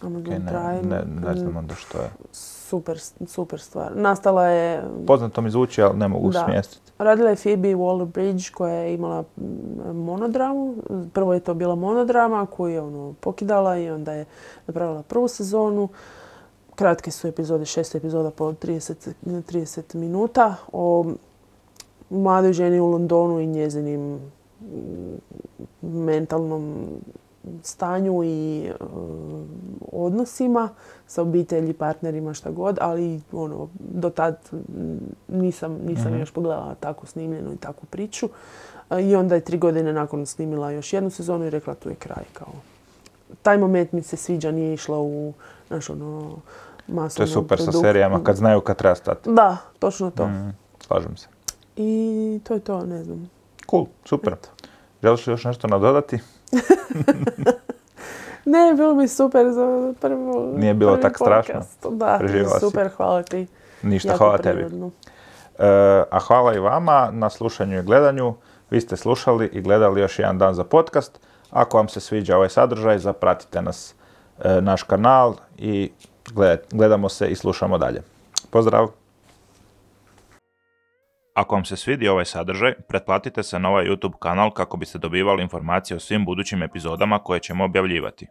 Okay, ne, ne, ne znam onda što je. Super, super stvar. Nastala je... Poznato mi zvuči, ali ne mogu da. smjestiti. Radila je Phoebe Waller-Bridge koja je imala monodramu. Prvo je to bila monodrama koju je ono pokidala i onda je napravila prvu sezonu. Kratke su epizode, šest epizoda po trideset, trideset minuta o mladoj ženi u Londonu i njezinim mentalnom stanju i uh, odnosima sa obitelji, partnerima, šta god, ali ono, do tad nisam, nisam mm-hmm. još pogledala takvu snimljenu i takvu priču. Uh, I onda je tri godine nakon snimila još jednu sezonu i rekla tu je kraj. Kao. Taj moment mi se sviđa, nije išla u naš ono masovnu To je super produktu. Sa serijama, kad znaju kad treba stati. Da, točno to. Mm, slažem se. I to je to, ne znam. Cool, super. Eto. Želiš li još nešto nadodati? Ne, bilo mi super za prvo. Nije bilo tako strašno. Da, Preživjela super, si. Hvala ti. Ništa, jako hvala prirodno. tebi. E, a hvala i vama na slušanju i gledanju. Vi ste slušali i gledali još jedan dan za podcast. Ako vam se sviđa ovaj sadržaj, zapratite nas, e, naš kanal i gled, gledamo se i slušamo dalje. Pozdrav! Ako vam se svidi ovaj sadržaj, pretplatite se na ovaj YouTube kanal kako biste dobivali informacije o svim budućim epizodama koje ćemo objavljivati.